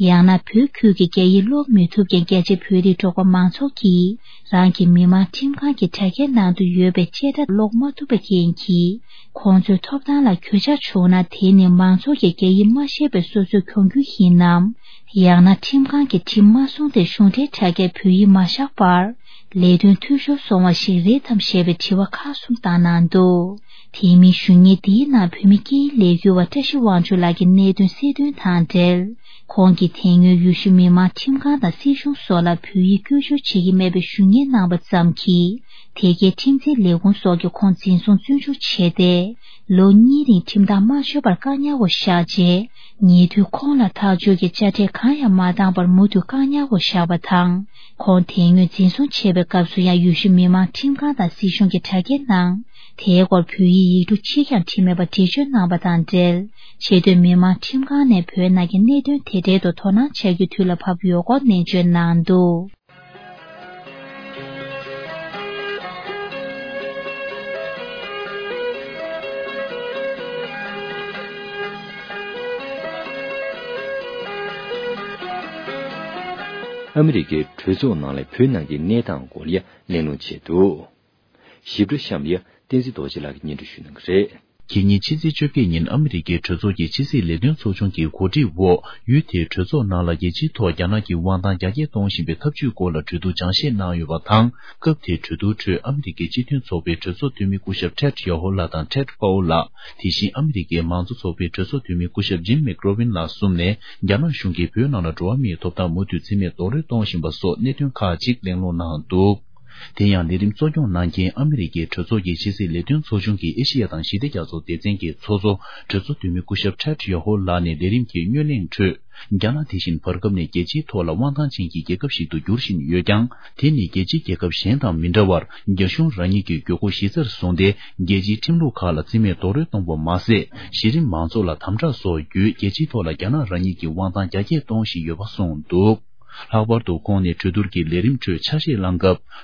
ཡང་ན་བོད་ཁུལ་གྱི་རྒྱ་ཡིག་ཀློག་མི་ཐུབ་མཁན་རྒྱ་ཆེ་བོད་རིགས་འབྲོག་པ་མང་ཚོགས་ཀྱིས་རང་གི་མི་དམངས་ཁྲིམས་ཁང་གི་དྲ་རྒྱའི་ནང་དུ་ཡོད་པའི་བཅད་ཁྲ་ཀློག་མ་ཐུབ་པའི་རྐྱེན་གྱིས། ཁོང་ཚོའི་ཐོབ་ཐང་ལ་གྱོད་ཆག་བྱུང་ན། དེ་ནི་མང་ཚོགས་ཀྱིས་རྒྱ་ཡིག་མ་ཤེས་པའི་སོ་སོའི་གྱོང་གུད་ཡིན་ནམ། ཡང་ན་ཁྲིམས་ཁང་གིས་ཁྲིམས་མ་སྲུང་སྟེ་གཞུང་འབྲེལ་དྲ་རྒྱའི་བོད་ཡིག་མ་བཞག་པར། ལས་དོན་འཐུས་ཤོར་སོང་བ་ཞིག་རེད་དམ་ཞེས་པའི་དྲི་བ་ཁག་གསུམ་བཏང་གནང་འདུག། དེ་མིན་ཞུ་སྙན་འདིའི་ནང་བོད་མི་སྐད་ཡིག་ལས་འགུལ་བ་བཀྲ་ཤིས་དབང་ཕྱུག་ལགས་ཀྱིས་གནད་དོན་གསལ་སྟོན་དང་འབྲེལ། ཁོང་གིས་དེ་སྔོན་ཡུལ་ཤུལ་མི་དམངས་ཁྲིམས་ཁང་དང་སྲིད་གཞུང་སོགས་ལ་བོད་ཡིག་བཀོལ་སྤྱོད་བྱེད་ཀྱི་མེད་པའི་ཞུ་སྙན་གནང་བ་ཙམ་གྱིས། དེ་གའི་ཁྲིམས་འཛིན་ལས་ཁུངས་སོགས་ཀྱིས་ཁོང་འཛིན་བཟུང་བཙོན་འཇུག་བྱས་ཏེ། ལོ་གཉིས་རིང་ཁྲིམས་ཐག་མ་ཆོད་པར་བཀག་ཉར་འོག་བཞག་རྗེས། ཉེ་དུས་ཁོང་ལ་ཐག་གཅོད་ཀྱི་དཔྱ་ཁྲལ་གང་ཡང་མ་བཏང་བར་མུ་མཐུད་བཀག་ཉར་འོག་བཞག་པ་དང་། ཁོང་དེ་སྔོན་འཛིན་བཟུང་བྱས་པའི་སྐབས་སུ་ཡང་ཡུལ་ཤུལ་མི་དམངས་ཁྲིམས་ཁང་དང་སྲིད་གཞུང་གི་དྲ་རྒྱའི་ནང་། དེའི་སྐོར་བོད་ཡིག་ཡིག་འབྲུ་གཅིག་ཀྱང་བྲིས་མེད་པར་འགྲེལ་བརྗོད་གནང་བ་དང་འབྲེལ། ཆེས་མཐོའི་མི་དམངས་ཁྲིམས་ཁང་ནས་བོད་ནང་གི་གནད་དོན་དེ་འབྲེལ་དུ་དོ་སྣང་བྱ་རྒྱུ་དུས་ལ་བབ་ཡོད་སྐོར་ནན་བརྗོད་གནང་འདུག། ཨ་མི་རི་ཀའི་གྲོས་ཚོགས་ནང་ལ་བོད་ནང་གི་གནས་སྟངས་སྐོར་ལ་གླེང་སློང་བྱས་འདུག། ཞིབ་ཕྲ་གཤམ་ལ་བསྟན་འཛིན་རྡོ་རྗེ་ལགས་ཀྱིས་སྙན་སྒྲོན་ཞུ་གནང་གི་རེད། ཁེ་ཉིན་ཕྱི་ཚེས་བཅོ་བརྒྱད་ཉིན་ཨ་མི་རི་ཀའི་གྲོས་ཚོགས་ཀྱི་ཕྱི་སྲིད་ལས་དོན་ཚོགས་ཆུང་གི་གོ་སྒྲིག་འོག་ཡུལ་དེའི་གྲོས་ཚོགས་ནང་ལ་རྒྱལ་སྤྱིའི་ཐོག་རྒྱ་ནག་གི་དབང་ཐང་རྒྱ་སྐྱེད་གཏོང་བཞིན་པའི་ཐབས་ཇུས་སྐོར་ལ་གྲོས་བསྡུར་སྦྱང་བཤད་གནང་ཡོད་པ་དང་། སྐབས་དེའི་གྲོས་བསྡུར་ཁྲོད་ཨ་མི་རི་ཀའི་སྤྱི་མཐུན་ཚོགས་པའི་གྲོས་ཚོགས་འཐུས་མི་སྐུ་ཞབས་ཊེཌ་ཡོ་ཧོ་ལགས་དང་ཊེཌ་པའོ་ལགས། དེ་བཞིན་ཨ་མི་རི་ཀའི་མང་གཙོ་ཚོགས་པའི་གྲོས་ཚོགས་འཐུས་མི་སྐུ་ཞབས་ཇིམ་མེག་རོ་ཝིན་ལགས་གསུམ་ནས་རྒྱ་ནག་གཞུང་གིས་བོད་ནང་ལ་འགྲོ་བ་མིའི་ཐོབ་ཐང་མུ་མཐུད་རྩིས་མེད་རྡོག་རོལ་གཏོང་བཞིན་པ་སོགས་གནད་དོན་ཁག་ཅིག་གླེང་སློང་གནང་འདུག། དེ་ཡང་ལས་རིམ་གཙོ་སྐྱོང་གནང་མཁན་ཨ་མི་རི་ཀའི་གྲོས་ཚོགས་ཀྱི་ཕྱི་སྲིད་ལས་དོན་ཚོགས་ཆུང་གི་ཨེ་ཤི་ཡ་དང་ཞི་བདེ་རྒྱ་མཚོ་སྡེ་ཚན་གྱི་ཚོགས་གཙོ་གྲོས་ཚོགས་འཐུས་མི་སྐུ་ཞབས་ཊེཌ་ཡོ་ཧོ་ལགས་ནས་ལས་རིམ་གྱི་སྨོན་གླེང་ཁྲོད། རྒྱ་ནག་དེ་བཞིན་བར་སྐབས་ནས་རྒྱལ་སྤྱིའི་ཐོག་ལ་དབང་ཐང་ཅན་གྱི་རྒྱལ་ཁབ་ཞིག་ཏུ་འགྱུར་བཞིན་ཡོད་ཀྱང་། དེ་ནི་རྒྱལ་སྤྱིའི་རྒྱལ་ཁབ་གཞན་དང་མི་འདྲ་བར། རྒྱ་གཞུང་རང་ཉིད་ཀྱི་དགོས་མཁོ་གཞི་རྩར་བཟུང་སྟེ། རྒྱལ་སྤྱིའི་ཁྲིམས་ལུགས་ཁག་ལ་རྩིས་མེད་རྡོག་རོལ་གཏོང་བ་མ་ཟད། གཞི་རིམ་མང་ཚོགས་ལ་དམ་དྲག་སོགས་བརྒྱུད། རྒྱལ་སྤྱིའི་ཐོག་ལ་རྒྱ་ནག་རང་ཉིད་ཀྱི་དབང་ཐང་རྒྱ་སྐྱེད་གཏོང་བཞིན་ཡོད་པ་གསུངས་འདུག། ལྷག་པར་དུ་ཁོང་ནས་གྲོས་བསྡུར་གྱི་ལས་རིམ་ཁྲོད་ཆ་ཤས་བླངས་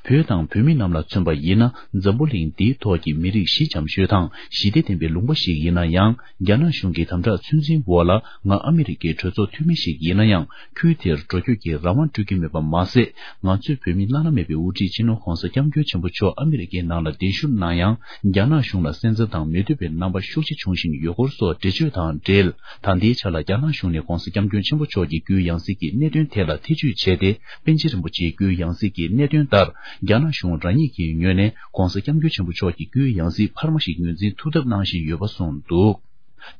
སྐབས། བོད་དང་བོད་མི་རྣམས་ལ་མཚོན་པ་ཡིན་ན། འཛམ་བུ་གླིང་འདིའི་ཐོག་གི་མི་རིགས་གཞི་འཇམ་ཤོས་དང་ཞི་བདེ་ལྡན་པའི་ལུང་པ་ཞིག་ཡིན་ན་ཡང་། རྒྱ་ནག་གཞུང་གི་དམ་དྲག་ཚོད་འཛིན་འོག་ལ། ང་ཨ་མི་རི་ཀའི་གྲོས་ཚོགས་འཐུས་མི་ཞིག་ཡིན་ན་ཡང་། ཁུལ་དེར་འགྲོ་སྐྱོད་ཀྱི་རང་དབང་སྤྲོད་ཀྱི་མེད་པ་མ་ཟད། ང་ཚོའི་བོད་མི་བླ་ན་མེད་པའི་དབུ་ཁྲིད་སྤྱི་ནོར་༧གོང་ས་༧སྐྱབས་མགོན་ཆེན་པོ་མཆོག་ཨ་མི་རི་ཀའི་ནང་ལ་གདན་ཞུ་གནང་ཡང་། རྒྱ་ནག་གཞུང་ལ་སེམས་འཚབ་དང་མོས་མཐུན་པའི་རྣམ་པ་ཤུགས་ཆེ་བྱུང་བཞིན་ཡོད་སྐོར་སོགས་འགྲེལ་བརྗོད་དང་འབྲེལ། ད་ལྟའི་ཆ་ལ་རྒྱ་ནག་གཞུང་ནས་༧གོང་ས་༧སྐྱབས་མགོན་ཆེན་པོ་མཆོག་གི་རྒྱུའི་ཡང་སྲིད་ཀྱི་གནད་དོན་ཐད་ལ་ཐེ་བྱུས་བྱས་ཏེ། པཎ་ཆེན་རིན་པོ་ཆེའི་རྒྱུའི་ཡང་སྲིད་ཀྱི་གནད་དོན་ལྟར། རྒྱ་ནག་གཞུང་རང་ཉིད་ཀྱི་ངོས་ནས་༧གོང་ས་༧སྐྱབས་མགོན་ཆེན་པོ་མཆོག་གི་རྒྱུའི་ཡང་སྲིད་འཕར་མ་ཞིག་ངོས་འཛིན་ཐུབ་ཐབས་གནང་བཞིན་ཡོད་པ་གསུངས་འདུག།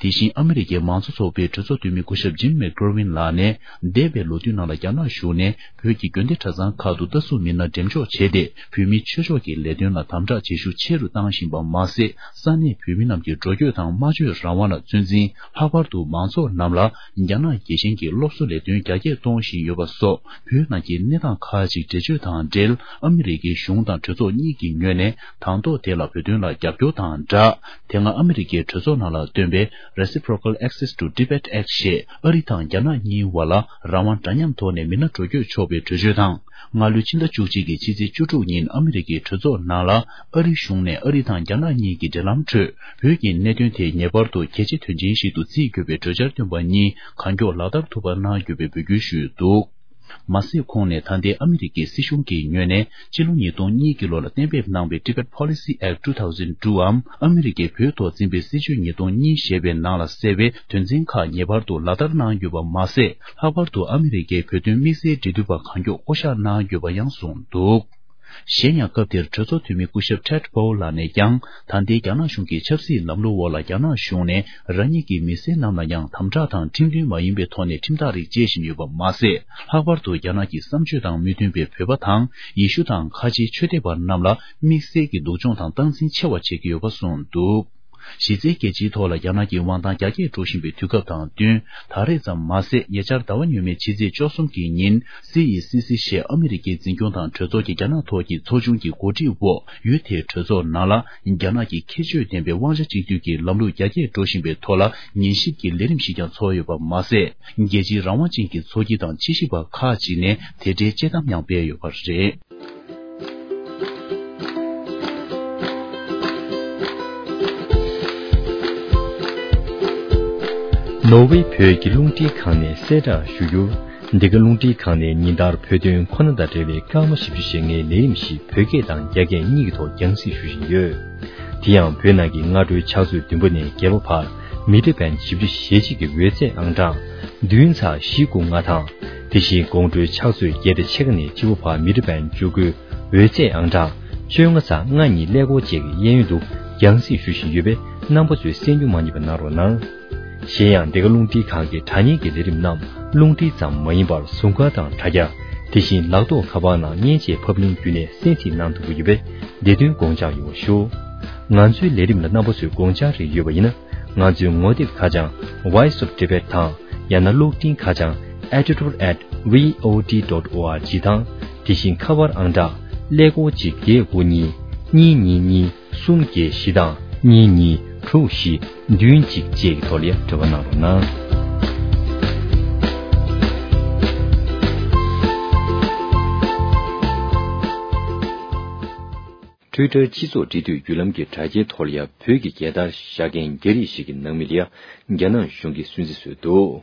དེ་བཞིན་ཨ་མི་རི་ཀའི་མང་གཙོ་ཚོགས་པའི་གྲོས་ཚོགས་འཐུས་མི་སྐུ་ཞབས་ཇིམ་མེག་གྷོ་ཝིན་ལགས་ནས། འདས་པའི་ལོ་དུས་ནང་ལ་རྒྱ་ནག་གཞུང་ནས་བོད་ཀྱི་དགོན་སྡེ་གྲྭ་ཚང་ཁག་ཏུ་ལྟ་སྲུང་མི་སྣ་འགྲེམས་འཇོག་བྱས་ཏེ། བོད་མིའི་ཆོས་ཕྱོགས་ཀྱི་ leidoon་ལ་དམ་དྲག་བྱེད་ཤུགས་ཆེ་རུ་བཏང་བཞིན་པ་མ་ཟད། ས་གནས་བོད་མི་རྣམས་ཀྱི་འགྲོ་སྐྱོད་དང་སྨྲ་བརྗོད་རང་དབང་ལ་ཚོད་འཛིན། ལྷག་པར་དུ་མང་ཚོགས་རྣམས་ལ་རྒྱ་ནག་རྒྱལ་ཞེན་གྱི་སློབ་གསོ་ལས་དོན་རྒྱ་སྐྱེད་གཏོང་བཞིན་ཡོད་པ་སོགས། བོད་ནང་གི་གནས་སྟངས་ཁག་ཅིག་འགྲེལ་བརྗོད་དང་འབྲེལ། ཨ་མི་རི་ཀའི་གཞུང་དང་གྲོས་ཚོགས་གཉིས་ཀྱི་ངོས་ནས་དང་ཐོག་དེ་ལ་བོད་དོན་ལ་རྒྱབ་སྐྱོར་དང་སྦྲགས། དེ་སྔ་ཨ་མི་རི་ཀའི་གྲོས་ཚོགས་ནང་ལ་བཏོན་པའི་Reciprocal Access to Tibet Act ཞེས་ཨ་རི་དང་རྒྱ་ནག་གཉིས་བར་ལ་རང་དབང་འདྲ་མཉམ་ཐོག་ནས་མི་སྣ་འགྲོ་སྐྱོད་ཆོག་པའི་གྲོས་ཆོད་དང་། སྔ་ལོའི་ཕྱི་ཟླ་བཅུ་གཅིག་གི་ཕྱི་ཚེས་བཅུ་དྲུག་ཉིན་ཨ་མི་རི་ཀའི་གྲོས་ཚོགས་ནང་ལ་ཨ་རི་གཞུང་ནས་ཨ་རི་དང་རྒྱ་ནག་གཉིས་ཀྱི་འབྲེལ་ལམ་ཁྲོད་བོད་ཀྱི་གནད་དོན་དེ་ངེས་པར་དུ་གལ་ཆེ་དོན་ཆེན་ཞིག་ཏུ་བརྩི་དགོས་པའི་གྲོས་འཆར་བཏོན་པ་གཉིས་གང་མགྱོགས་ལག་བསྟར་ཐུབ་པ་གནང་དགོས་པའི་འབོད་སྐུལ་ཞུས་འདུག། མ་ཟད་ཁོང་ནས་ད་ལྟའི་ཨ་མི་རི་ཀའི་སྲིད་གཞུང་གི་ངོས་ནས་ཕྱི་ལོ་ཉིས་སྟོང་གཉིས་ཀྱི་ལོ་ལ་གཏན་འབེབས་གནང་བའི་Tibet Policy Act two thousand two འམ་ཨ་མི་རི་ཀས་བོད་ཐོག་འཛིན་པའི་སྲིད་བྱུས་ཉིས་སྟོང་གཉིས་ཞེས་པའི་ནང་ལ་གསལ་བའི་དོན་ཚན་ཁག་ངེས་པར་དུ་ལག་བསྟར་གནང་དགོས་པ་མ་ཟད། ལྷག་པར་དུ་ཨ་མི་རི་ཀའི་བོད་དོན་དམིགས་བསལ་འབྲེལ་མཐུད་པ་གང་མགྱོགས་བསྐོ་གཞག་གནང་དགོས་པ་ཡང་གསུངས་འདུག། གཞན་ཡང་སྐབས་དེར་གྲོས་ཚོགས་འཐུས་མི་སྐུ་ཞབས་Ted Poe ལགས་ནས་ཀྱང་ད་ལྟའི་རྒྱ་ནག་གཞུང་གི་ཆབ་སྲིད་ལམ་ལུགས་འོག་ལ་རྒྱ་ནག་གཞུང་ནས་རང་ཉིད་ཀྱི་མི་སེར་རྣམས་ལ་ཡང་དམ་དྲག་དང་ཁྲིམས་མཐུན་མ་ཡིན་པའི་ཐོག་ནས་ཁྲིམས་ཐག་རིགས་བཅད་བཞིན་ཡོད་པ་མ་ཟད། ལྷག་པར་དུ་རྒྱ་ནག་གི་བསམ་སྤྱོད་དང་མི་མཐུན་པའི་བོད་པ་དང་ཡེ་ཤུ་དང་ཁ་ཆེའི་ཆོས་དད་པ་རྣམས་ལ་དམིགས་བསལ་གྱི་སྡུག་སྦྱོང་དང་སྟངས་འཛིན་ཆེ་བ་བྱེད་ཀྱི་ཡོད་པ་གསུངས་འདུག། གཞི་རྩའི་རྒྱལ་སྤྱིའི་ཐོག་ལ་རྒྱ་ནག་གི་དབང་ཐང་རྒྱ་སྐྱེད་འགྲོ་བཞིན་པའི་དུས་སྐབས་དང་བསྟུན། ད་རེས་ཙམ་མ་ཟད། ཉེ་ཆར་ཟླ་བ་སྔོན་མའི་ཕྱི་ཚེས་བཅུ་གསུམ་གྱི་ཉིན། སི་ཨི་སི་སི་ཞེས་ཨ་མི་རི་ཀའི་འཛིན་སྐྱོང་དང་གྲོས་ཚོགས་ཀྱི་རྒྱ་ནག་ཐོག་གི་ཚོགས་ཆུང་གི་གོ་སྒྲིག་འོག་ཡུལ་དེའི་གྲོས་ཚོགས་ནང་ལ། རྒྱ་ནག་གི་ཁྱད་ཆོས་ལྡན་པའི་དབང་ཆ་གཅིག་སྡུད་ཀྱི་ལམ་ལུགས་རྒྱ་སྐྱེད་འགྲོ་བཞིན་པའི་ཐོག་ལ་ཉན་ཞིབ་ཀྱི་ལས་རིམ་ཞིག་ཀྱང་ཚོགས་ཡོད་པ་མ་ཟད། རྒྱལ་སྤྱིའི་རང་དབང་ཅན་གྱི་ཚོགས་སྐྱིད་དང་ཕྱི་ཞིབ་པ་ཁག་ཅིག་ནས་དེ་འབྲེལ་དཔྱད་གཏམ་ཡང་སྤེལ་ཡོད་པ་རེད། ནོར་ཝེ་བོད་ཀྱི་རླུང་འཕྲིན་ཁང་ནས་གསལ་བསྒྲགས་ཞུ་རྒྱུར། འདི་ག་རླུང་འཕྲིན་ཁང་ནས་ཉིན་ལྟར་བོད་དོན་ཁོ་ན་དང་འབྲེལ་བའི་སྐར་མ་བཞི་བཅུ་ཞེ་ལྔའི་ལས་རིམ་ཞིག་བོད་སྐད་དང་རྒྱ་སྐད་གཉིས་ཀྱི་ཐོག་རྒྱང་སྲིང་ཞུ་བཞིན་ཡོད། དེ་ཡང་བོད་ནང་གི་སྔ་དྲོའི་ཕྱག་ཚོད་བདུན་པ་ནས་བརྒྱད་པ་བར་མི་ཊར་བེན་བཞི་བཅུ་ཞེ་གཅིག་གི་འོད་ཚད་ཨང་གྲངས་བདུན་ཚེག་བཞི་དགུ་ལྔ་དང་། དེ་བཞིན་དགོང་དྲོའི་ཕྱག་ཚོད་བརྒྱད་དང་ཕྱེད་ཀ་ནས་བཅུ་པ་བར་མི་ཊར་བེན་བཅུ་དགུའི་འོད་ཚད་ཨང་གྲངས་བཅོ་ལྔ་ཚེག་ལྔ་གཉིས་ཀླད་ཀོར་བཅས་ཀྱི་གཡས་གཡོན་དུ་རྒྱང་སྲིང་ཞུ་བཞིན་ཡོད་པས། རྣམ་པ་ཚོས་གསན་རྒྱུ་མ་བསྙེལ་བ་གནང་རོགས་གནང་། གཞན་ཡང་འདི་ག་རླུང་འཕྲིན་ཁང་གི་དྲ་བརྙན་གྱི་ལས་རིམ་རྣམས་རླུང་འཕྲིན་ཙམ་མ་ཡིན་པར་ཟུར་མཁར་དང་དྲ་རྒྱ། དེ་བཞིན་ལག་ཐོགས་ཁ་པར་ནང་མཉེན་ཆས་ཕབ་ལེན་བརྒྱུད་ནས་གསན་གཟིགས་གནང་ཐུབ་ཀྱི་ཡོད་པས། བདེ་དོན་དགོངས་འཇགས་ཡོང་བ་ཞུ། ང་ཚོའི་ལས་རིམ་ལ་རྣམ་པ་ཚོས་དགོངས་འཆར་རེ་ཡོད་པ་ཡིན་ན། ང་ཚོའི་ངོ་དེབ་ཁ་བྱང་Voice of Tibet དང་། ཡང་ན་གློག་འཕྲིན་ཁ་བྱང་editor at vot dot org དང་། དེ་བཞིན་ཁ་པར་ཨང་གྲངས་ཀླད་ཀོར་གཅིག་བརྒྱད་དགུ་གཉིས་གཉིས་གཉིས་གཉིས་གསུམ་བརྒྱད་བཞི་དང་གཉིས་གཉིས་དྲུག་བཞི་བདུན་གཅིག་བཅས་ཀྱི་ཐོག་ལ་ཡང་འབྲེལ་བ་གནང་རོགས་གནང་། Twitter སྤྱི་ཚོགས་འབྲེལ་མཐུད་བརྒྱུད་ལམ་གྱི་དྲ་རྒྱའི་ཐོག་ལ་ཡང་བོད་ཀྱི་རྒྱལ་དར་བཞག་མཁན་རྒྱ་རིགས་ཤིག་གི་ནང་མི་ལ་ཡང་རྒྱ་ནག་གཞུང་གིས་སུན་གཙེར་བཟོས་འདུག།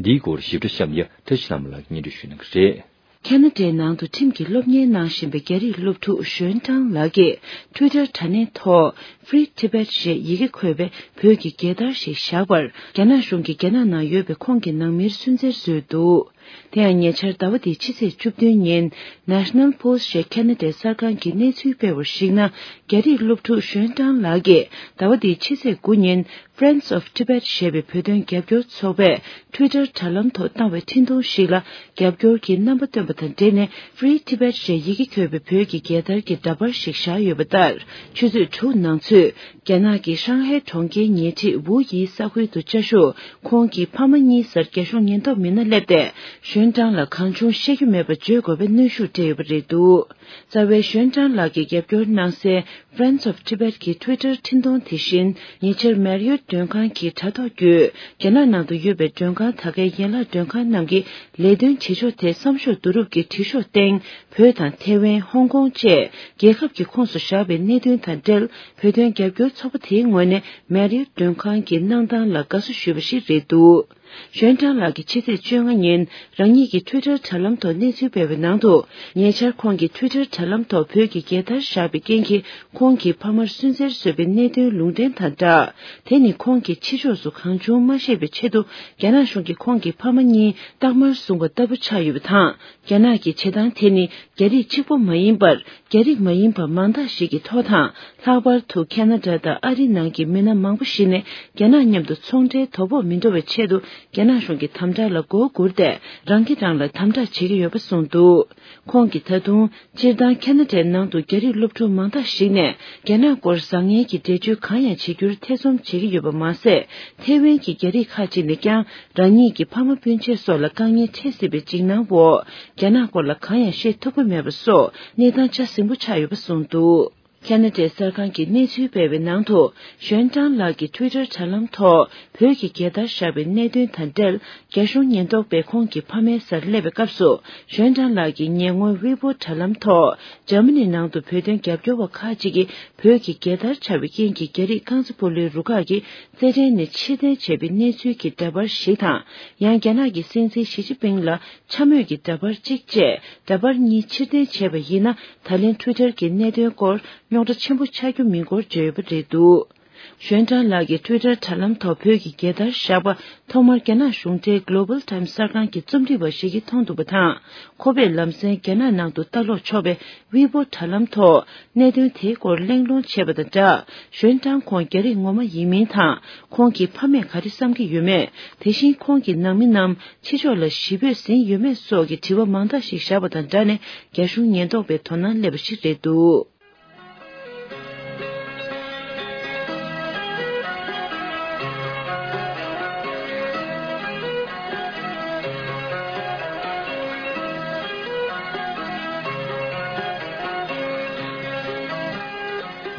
འདིའི་སྐོར་ཞིབ་ཕྲ་གཤམ་ཡ་བཀྲ་ཤིས་ལྷ་མོ་ལགས་སྙན་སྒྲོན་ཞུ་གནང་གི་རེད། ཁ་ན་ཌའི་ནང་དུ་ཁྲིམས་ཀྱི་སློབ་གཉེར་གནང་བཞིན་པའི་རྒྱ་རིགས་སློབ་ཕྲུག་ཞོན་ཀྲང་ལགས་ཀྱིས་Twitter དྲ་གནས་ཐོག་Free Tibet ཞེས་ཡི་གེ་འཁོད་པའི་བོད་ཀྱི་རྒྱལ་དར་ཞིག་བཞག་པར། རྒྱ་ནག་གཞུང་གིས་རྒྱ་ནག་ནང་ཡོད་པའི་ཁོང་གི་ནང་མིར་སུན་གཙེར་བཟོས་འདུག། དེ་ཡང་ཉེ་ཆར་ཟླ་བ་འདིའི་ཕྱི་ཚེས་བཅུ་བདུན་ཉིན་National Post ཞེས་ཁ་ན་ཌའི་གསར་ཁང་གིས་གནས་ཚུལ་སྤེལ་བར་གཞིགས་ན། རྒྱ་རིགས་སློབ་ཕྲུག་ཞོན་ཀྲང་ལགས་ཀྱིས་ཟླ་བ་འདིའི་ཕྱི་ཚེས་དགུ་ཉིན། Friends of Tibet ཞེས་པའི་བོད་དོན་རྒྱབ་སྐྱོར་ཚོགས་པས་Twitter དྲ་ལམ་ཐོག་བཏང་བའི་འཕྲིན་ཐུང་ཞིག་ལ། རྒྱབ་སྐྱོར་གྱི་རྣམ་པ་བཏོན་པ་དང་འབྲེལ་ནས་Free Tibet ཞེས་ཡི་གེ་འཁོད་པའི་བོད་ཀྱི་རྒྱལ་དར་གྱི་འདྲ་པར་ཞིག་བཞག་ཡོད་པ་ལྟར། ཆུ་ཚོད་དྲུག་ནང་ཚུད། རྒྱ་ནག་གི་ཧྲང་ཧའེ་གྲོང་ཁྱེར་ཉེ་འཁྲིས་ཝུ་ཡི་ས་ཁུལ་དུ་བཅའ་བཞུགས་ཁོང་གི་ཕ་མ་གཉིས་སར་རྒྱ་གཞུང་ཉེན་རྟོག་མི་སྣ་སླེབས་ཏེ། ཞོན་ཀྲང་ལ་གང་བྱུང་བཤད་རྒྱུ་མེད་པ་བརྗོད་དགོས་པའི་གནོན་ཤུགས་སྤྲད་ཡོད་པ་རེད་འདུག་རྩ་བའི་ཞོན་ཀྲང་ལགས་ཀྱིས་རྒྱབ་སྐྱོར་གནང་སའི་Friends of Tibet གྱི་Twitter འཕྲིན་གཏོང་དེ་བཞིན་ཉེ་ཆར་མེ་རི་ཡོད་མགྲོན་ཁང་གི་དྲ་ཐོག་བརྒྱུད་རྒྱ་ནག་ནང་དུ་ཡོད་པའི་མགྲོན་ཁང་ད་གའི་ཡན་ལག་མགྲོན་ཁང་རྣམས་ཀྱི་ལས་དོན་བྱེད་ཕྱོགས་ཐད་བསམ་ཤོག་བསྡུ་རུབ་ཀྱི་བྲིས་ཤོག་སྟེང་བོད་དང་ཐེ་ཝན། ཧོང་ཀོང་བཅས་རྒྱལ་ཁབ་ཀྱི་ཁོངས་སུ་བཞག་པའི་གནད་དོན་དང་འབྲེལ་བོད་དོན་རྒྱབ་སྐྱོར་ཚོགས་པ་དེའི་ངོས་ནས་མེ་རི་ཡོད་མགྲོན་ཁང་གི་གནང་སྟངས་ལ་དགའ་བསུ་ཞུས་པ་ཞིག་རེད་འདུག་ཞོན་ཀྲང་ལགས་ཀྱིས་ཕྱི་ཚེས་བཅོ་ལྔ་ཉིན་རང་ཉིད་ཀྱི་Twitter དྲ་ལམ་ཐོག་གནས་ཚུལ་སྤེལ་བའི་ནང་དུ། ཉེ་ཆར་ཁོང་གིས་Twitter དྲ་ལམ་ཐོག་བོད་ཀྱི་རྒྱལ་དར་བཞག་པའི་རྐྱེན་གྱིས་ཁོང་གི་ཕ་མར་སུན་གཙེར་བཟོས་པའི་གནད་དོན་ལུང་འདྲེན་དང་སྦྲགས། དེ་ནི་ཁོང་གིས་ཕྱི་ཕྱོགས་སུ་གང་བྱུང་མ་བཤད་པའི་ཆེད་དུ་རྒྱ་ནག་གཞུང་གིས་ཁོང་གི་ཕ་མ་གཉིས་རྟགས་མར་བཟུང་བ་ལྟ་བུ་ཆགས་ཡོད་པ་དང་། རྒྱ་ནག་གི་བྱེད་སྟངས་དེ་ནི་རྒྱ་རིགས་གཅིག་པོ་མ་ཡིན་པར། རྒྱ་རིགས་མ་ཡིན་པ་མང་དག་ཞིག་གི་ཐོག་དང་། ལྷག་པར་དུ་ཁ་ན་ཌ་དང་ཨ་རིའི་ནང་གི་མི་སྣ་མང་པོ་ཞིག་ནས་རྒྱ་ནག་མཉམ་དུ་ཚོང་འབྲེལ་དོ་ཕོག་མི་འགྲོ་བའི་ཆེད་དུ་རྒྱ་ནག་གཞུང་གི་དམ་དྲག་ལ་མགོ་སྒུར་ཏེ། རང་གིས་རང་ལ་དམ་དྲག་བྱེད་ཀྱི་ཡོད་པ་གསུངས་འདུག་ཁོང་གིས་ད་དུང་སྤྱིར་བཏང་ཁ་ན་ཌའི་ནང་དུ་རྒྱ་རིགས་སློབ་ཕྲུག་མང་དག་ཞིག་ནས་རྒྱ་ནག་སྐོར་བཟང་ངན་གྱི་འགྲེལ་བརྗོད་གང་ཡང་བྱེད་རྒྱུར་ཐེ་ཚོམ་བྱེད་ཀྱི་ཡོད་པ་མ་ཟད། ཐེ་ཝན་གྱི་རྒྱ་རིགས་ཁག་ཅིག་ནས་ཀྱང་རང་ཉིད་ཀྱི་ཕ་མ་སྤུན་མཆེད་སོགས་ལ་དཀའ་ངལ་འཕྲད་སྲིད་པའི་འཇིགས་སྣང་འོག་རྒྱ་ནག་སྐོར་ལ་གང་ཡང་བཤད་ཐུབ་ཀྱི་མེད་པ་སོགས་གནས་སྟངས་ཆ་ཟིང་པོ་ཆགས་ཡོད་པ་གསུངས་འདུག་ཁ་ན་ཌའི་གསར་ཁང་གིས་གནས་ཚུལ་སྤེལ་བའི་ནང་དུ། ཞོན་ཀྲང་ལགས་ཀྱིས་Twitter དྲ་ལམ་ཐོག་བོད་ཀྱི་རྒྱལ་དར་བཞག་པའི་གནད་དོན་དང་འབྲེལ། རྒྱ་གཞུང་ཉེན་རྟོག་པས་ཁོང་གི་ཕ་མའི་སར་སླེབས་པའི་སྐབས་སུ། ཞོན་ཀྲང་ལགས་ཀྱིས་ཉེ་སྔོན་ཝི་པོ་དྲ་ལམ་ཐོག་འཇར་མ་ནི་ནང་དུ་བོད་དོན་རྒྱབ་སྐྱོར་བ་ཁག་ཅིག་གིས་བོད་ཀྱི་རྒྱལ་དར་འཕྱར་བའི་རྐྱེན་གྱིས་རྒྱ་རིགས་རྐང་རྩེད་སྤོ་ལོའི་རུ་ཁག་གིས་རྩེད་འགྲན་ནས་ཕྱིར་འཐེན་བྱས་པའི་གནས་ཚུལ་གྱི་འདྲ་པར་ཞིག་དང་། ཡང་རྒྱ་ནག་གི་སྲིད་འཛིན་ཞི་ཅིན་ཕིང་ལ། འཕྱ་སྨོད་ཀྱི་འདྲ་པར་གཅིག་བཅས་འདྲ་པར་གཉིས་ཕྱིར་འཐེན་བྱས་པ་ཡིན་ན། ད་ལན་Twitter གྱི་གནད་དོན་སྐོར་རྙོག་དྲ་ཆེན་པོ་ཆགས་རྒྱུ་མིན་སྐོར་བརྗོད་ཡོད་པ་རེད་འདུག་ཞོན་ཀྲང་ལགས་ཀྱིས་Twitter དྲ་ལམ་ཐོག་བོད་ཀྱི་རྒྱལ་དར་བཞག་པ་ཐོག་མར་རྒྱ་ནག་གཞུང་འབྲེལ་Global Times གསར་ཁང་གི་རྩོམ་སྒྲིག་པ་ཞིག་གིས་མཐོང་འདུག་པ་དང་། ཁོ་པས་ལམ་སེང་རྒྱ་ནག་ནང་དུ་ལྟ་ཀློག་ཆོག་པའི་ཝི་པོ་དྲ་ལམ་ཐོག་གནད་དོན་དེའི་སྐོར་གླེང་སློང་བྱས་པ་དང་སྦྲགས། ཞོན་ཀྲང་ཁོང་རྒྱ་རིགས་ངོ་མ་ཡིན་མིན་དང་། ཁོང་གི་ཕ་མས་ག་རེ་བསམ་གྱི་ཡོད་མེད། དེ་བཞིན་ཁོང་གི་ནང་མི་རྣམས་ཕྱི་ཕྱོགས་ལ་ཞི་བོས་ཟིན་ཡོད་མེད་སོགས་ཀྱི་དྲི་བ་མང་དག་ཞིག་བཞག་པ་དང་སྦྲགས་ནས། རྒྱ་གཞུང་ཉེན་རྟོག་པའི་དོ་སྣང་སླེབས་པ་ཞིག་རེད་འདུག་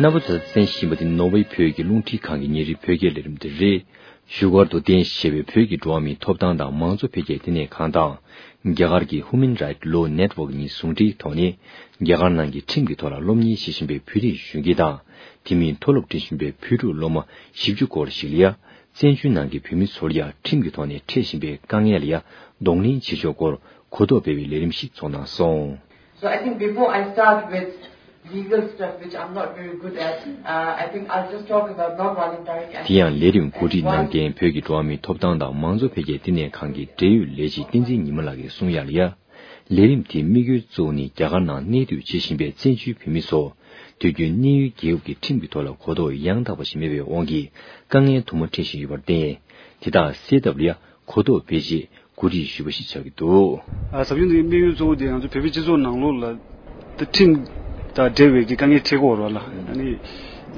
རྣམ་པ་ཚོས་གསན་བཞིན་པ་དེ་ནོར་ཝེ་བོད་ཀྱི་རླུང་འཕྲིན་ཁང་གི་ཉིན་རེའི་བོད་སྐད་ལས་རིམ་དེ་རེད། བཞུགས་སྒར་དུ་རྟེན་གཞི་བྱས་པའི་བོད་ཀྱི་འགྲོ་བ་མིའི་ཐོབ་ཐང་དང་མང་གཙོ་འཕེལ་རྒྱས་ལྟེ་གནས་ཁང་དང་། རྒྱ་གར་གྱི་Human Rights Law Network གཉིས་ཟུང་འབྲེལ་ཐོག་ནས། རྒྱ་གར་ནང་གི་ཁྲིམས་ཀྱི་ཐོག་ལ་སློབ་གཉེར་བྱེད་བཞིན་པའི་བོད་རིགས་གཞོན་སྐྱེས་དང་། དེ་མིན་མཐོ་སློབ་འགྲིམ་བཞིན་པའི་བོད་ཕྲུག་སློབ་མ་བཞི་བཅུ་སྐོར་ཞིག་ལ་ཡ། བཙན་བྱོལ་ནང་གི་བོད་མི་ཚོར་ཡ་ཁྲིམས་ཀྱི་ཐོག་ནས་འཕྲད་བཞིན་པའི་དཀའ་ངལ་ལ་ཡ་གདོང་ལེན་བྱེད་ཕྱོགས་སྐོར་གོ་རྟོགས་སྤེལ་བའི་ལས་རིམ་ཞིག་ཚོགས་གནང་སོང་། So I think before I start with legal stuff, which I'm not very good at, uh, I think I'll just talk about non-voluntary དེ་ཡང་ལས་རིམ་གོ་སྒྲིག་གནང་མཁན་བོད་ཀྱི་འགྲོ་བ་མིའི་ཐོབ་ཐང་དང་མང་གཙོ་འཕེལ་རྒྱས་ལྟེ་གནས་ཁང་གི་འབྲེལ་ཡོད་ལས་བྱེད་བསྟན་འཛིན་ཉི་མ་ལགས་ཀྱིས་གསུངས་ཡ་ལ་ཡ། ལས་རིམ་དེའི་དམིགས་ཡུལ་གཙོ་བོ་ནི་རྒྱ་གར་ནང་གནས་སྡོད་བྱེད་བཞིན་པའི་བཙན་བྱོལ་བོད་མི་ཚོ། དུས་རྒྱུན་གནས་ཡུལ་རྒྱལ་ཁབ་ཀྱི་ཁྲིམས་ཀྱི་ཐོག་ལ་གོ་རྟོགས་ཡང་དག་པ་ཞིག་མེད་པའི་དབང་གིས་དཀའ་ངལ་དུ་མ་འཕྲད་བཞིན་ཡོད་པར་བརྟེན། དེ་དག་སེལ་ཐབས་ལ་ཡ་གོ་རྟོགས་སྤེལ་ཆེད་གོ་སྒྲིག་ཞུས་པ་ཞིག་ཆགས་ཀྱི་འདུག་ཨ། ཟབ་སྦྱོང་འདིའི་དམིགས་ཡུལ་གཙོ་བོ་དེ་ང་ཚོ་བོད་པའི་སྤྱི་ཚོགས་ནང་ལོགས་ལ་ད་ཁྲིམས་དང་འབྲེལ་བའི་གི་དཀའ་ངལ་འཕྲད་ཀྱི་ཡོད་རེད་བ་ལ། ཨ་ནི་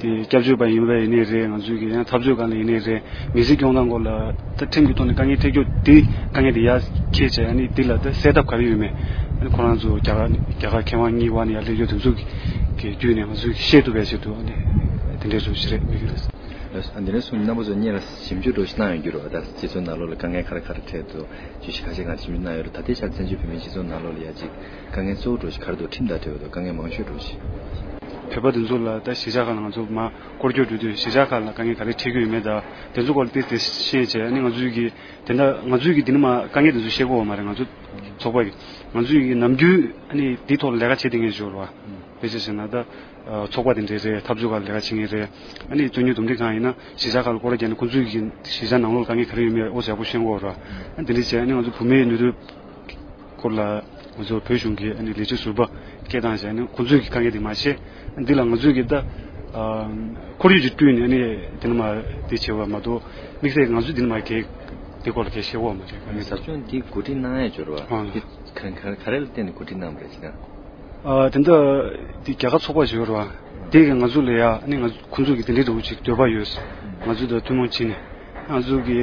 དེ་སྐྱབས་བཅོལ་བ་ཡིན་པ་ཡིན་ནའི་རེད། ང་ཚོའི་གི་ཡང་འཐབ་རྩོད་སྒང་ལ་ཡིན་ནའི་རེད། མི་སེར་སྐྱོང་སྟངས་སྐོར་ལ་ད་ཁྲིམས་ཀྱི་ཐོག་ནས་དཀའ་ངལ་འཕྲད་ཀྱི་ཡོད་དེ་དཀའ་ངལ་དེ་ཡར་འཁྱེར་བྱས། ཨ་ནི་དེ་ལ་ད་སེལ་ཐབས་ག་རེ་ཡོད་མེད། ཨ་ནི་ཁོ་རང་ཚོ་རྒྱ་གར་རྒྱ་གར་མཁས་དབང་གཉིས་པ་ནས་ཡར་སླེབས་ཡོད་དེ་ཚོ་གི་བརྒྱུད་ནས་ང་ཚོས་ཤེས་ཐུབ་པའི་ཆེད་དུ། ཨ་ནི་དེ་འདྲའི་རུ་ཞིག་རེད་དམིགས་ཡུལ་རེད། ཨ། འདི་ནས་བཟུང་རྣམ་པ་ཚོ་སྔོན་ལ་ཞིབ་འཇུག་འདྲ་ཞིག་གནང་ཡོད་རྒྱུ་རེད་བ། ད་སྤྱི་ཚོགས་ནང་ལོགས་ལ་དཀའ་ངལ་ག་རེ་ག་རེ་འཕྲད་འདུག་བརྗོད་གཞི་ཁ་ཤས་ང་ཞིབ་འཇུག་གནང་ཡོད་རེད། ད་ལྟའི་ཆར་བཙན་བྱོལ་བོད་མིའི་སྤྱི་ཚོགས་ནང་ལོགས་ལ་ཡ་གཅིག་དཀའ་ངལ་གཙོ་བོ་འདྲ་ཞིག་ག་རེ་འདུག་ཁྲིམས་དང་འབྲེལ་བ་འདུག་དཀའ་ངལ་མང་ཤོས་འདྲ་ཞིག་བོད་པ་འདི་ཚོ་ལ་ད་གཞིས་ཆགས་ཁག་ལ་ང་ཚོ་མར་སྐོར་སྐྱོད་འགྲོ་དུས་གཞིས་ཆགས་ཁག་ལ་དཀའ་ངལ་ག་རེ་འཕྲད་ཀྱི་ཡོད་མེད། ད་དེ་ཚོ་སྐོར་ལ་ཏོག་ཙམ་ཤེས་བྱས། ཨ་ནི་ང་ཚོས་ཀྱི་དེ་འདྲ་ང་ཚོས་ཀྱི་འདི་ནས་མར་དཀའ་ངལ་དེ་ཚོ་ཤེས་ཀྱི་ཡོད་མ་རེད། ང་ཚོ་ཚོགས་པ་གི་ང་ཚོས་ཀྱི་ནམ་རྒྱུན་ཨ་ནི་འདིའི་ཐོག་ལ་ལས་ཀ་བྱེད་བསྡད་མཁན་ཞིག་ཡོད་རེད་བ། དཔེ་ཆ་བཞག་ན་ད། ཚོགས་པ་དེ་འདྲའི་རེད། འཐབ་རྩོད་ཁག་ལས་ཀ་བྱེད་མཁན་རེད། ཨ་ནི་རྩོད་རྙོག་འདུམ་འགྲིག་ཁང་ཡིན་ན་གཞིས་ཆགས་ཁག་ལ་སྐོར་ར་བརྒྱབ་ནས་ཁོང་ཚོའི་གི་གཞིས་ཆགས་ནང་ལོགས་ལ་དཀའ་ངལ་ག་རེ་ཡོད་མེད་ཨོ་ཡག་པོ་ཤེས་ཀྱི་ཡོད་རེད། ཨ་དེ་འདྲ་བྱས་ཨ་ནི་ང་ཚོ་བུད་མེད་ནུས་སྟོབས་སྐོར་ལ་ང་ཚོ་བོད་གཞུང་གི་ཨ་ནི་ལས་བྱེད་ཟུར་པ་སྐད་བཏང་བྱས། ཨ་ནི་ཁོང་ཚོའི་གི་དཀའ་ངལ་དེ་མར་བཤད། ཨ་འདི་ལ་ང་ཚོའི་གི་ད་ཁོར་ཡུག་ཅིག་བསྐྲུན་ནས་ཨ་ནི་དེ་ནས་མར་དེ་བྱེད་པ་མ་གཏོགས་དམིགས་བསལ་ང་ཚོས་དེ་ནས་མར་གི་དེ་སྐོར་ལ་གི་བཤད་ཀྱི་ཡོད་མ་རེད། ཨ་ནི་ཟབ་སྦྱོང་འདི་གོ་སྒྲིག་གནང་ཡས་འབྱོར་བ་ཨ་འདི་ག་ག་ག་རེ་ལ་བརྟེན་ནས་གོ་སྒྲིག་གནང་བ་རེད་ཅེ་ན། ཨ་དེ་འདྲ་དེ་རྒྱ་གར་ཚོགས་པ་ཞིག་ཡོད་རེད་བ། དེ་གིས་ང་ཚོ་ལ་ཡ་ཨ་ནི་ང་ཁོང་ཚོ་གི་དེ་འདྲའི་འདྲ་བོ་ཅིག་འདོད་པ་ཡོད། ང་ཚོ་དང་ཐུན་མོང་བྱས་ནས། ང་ཚོ་གི་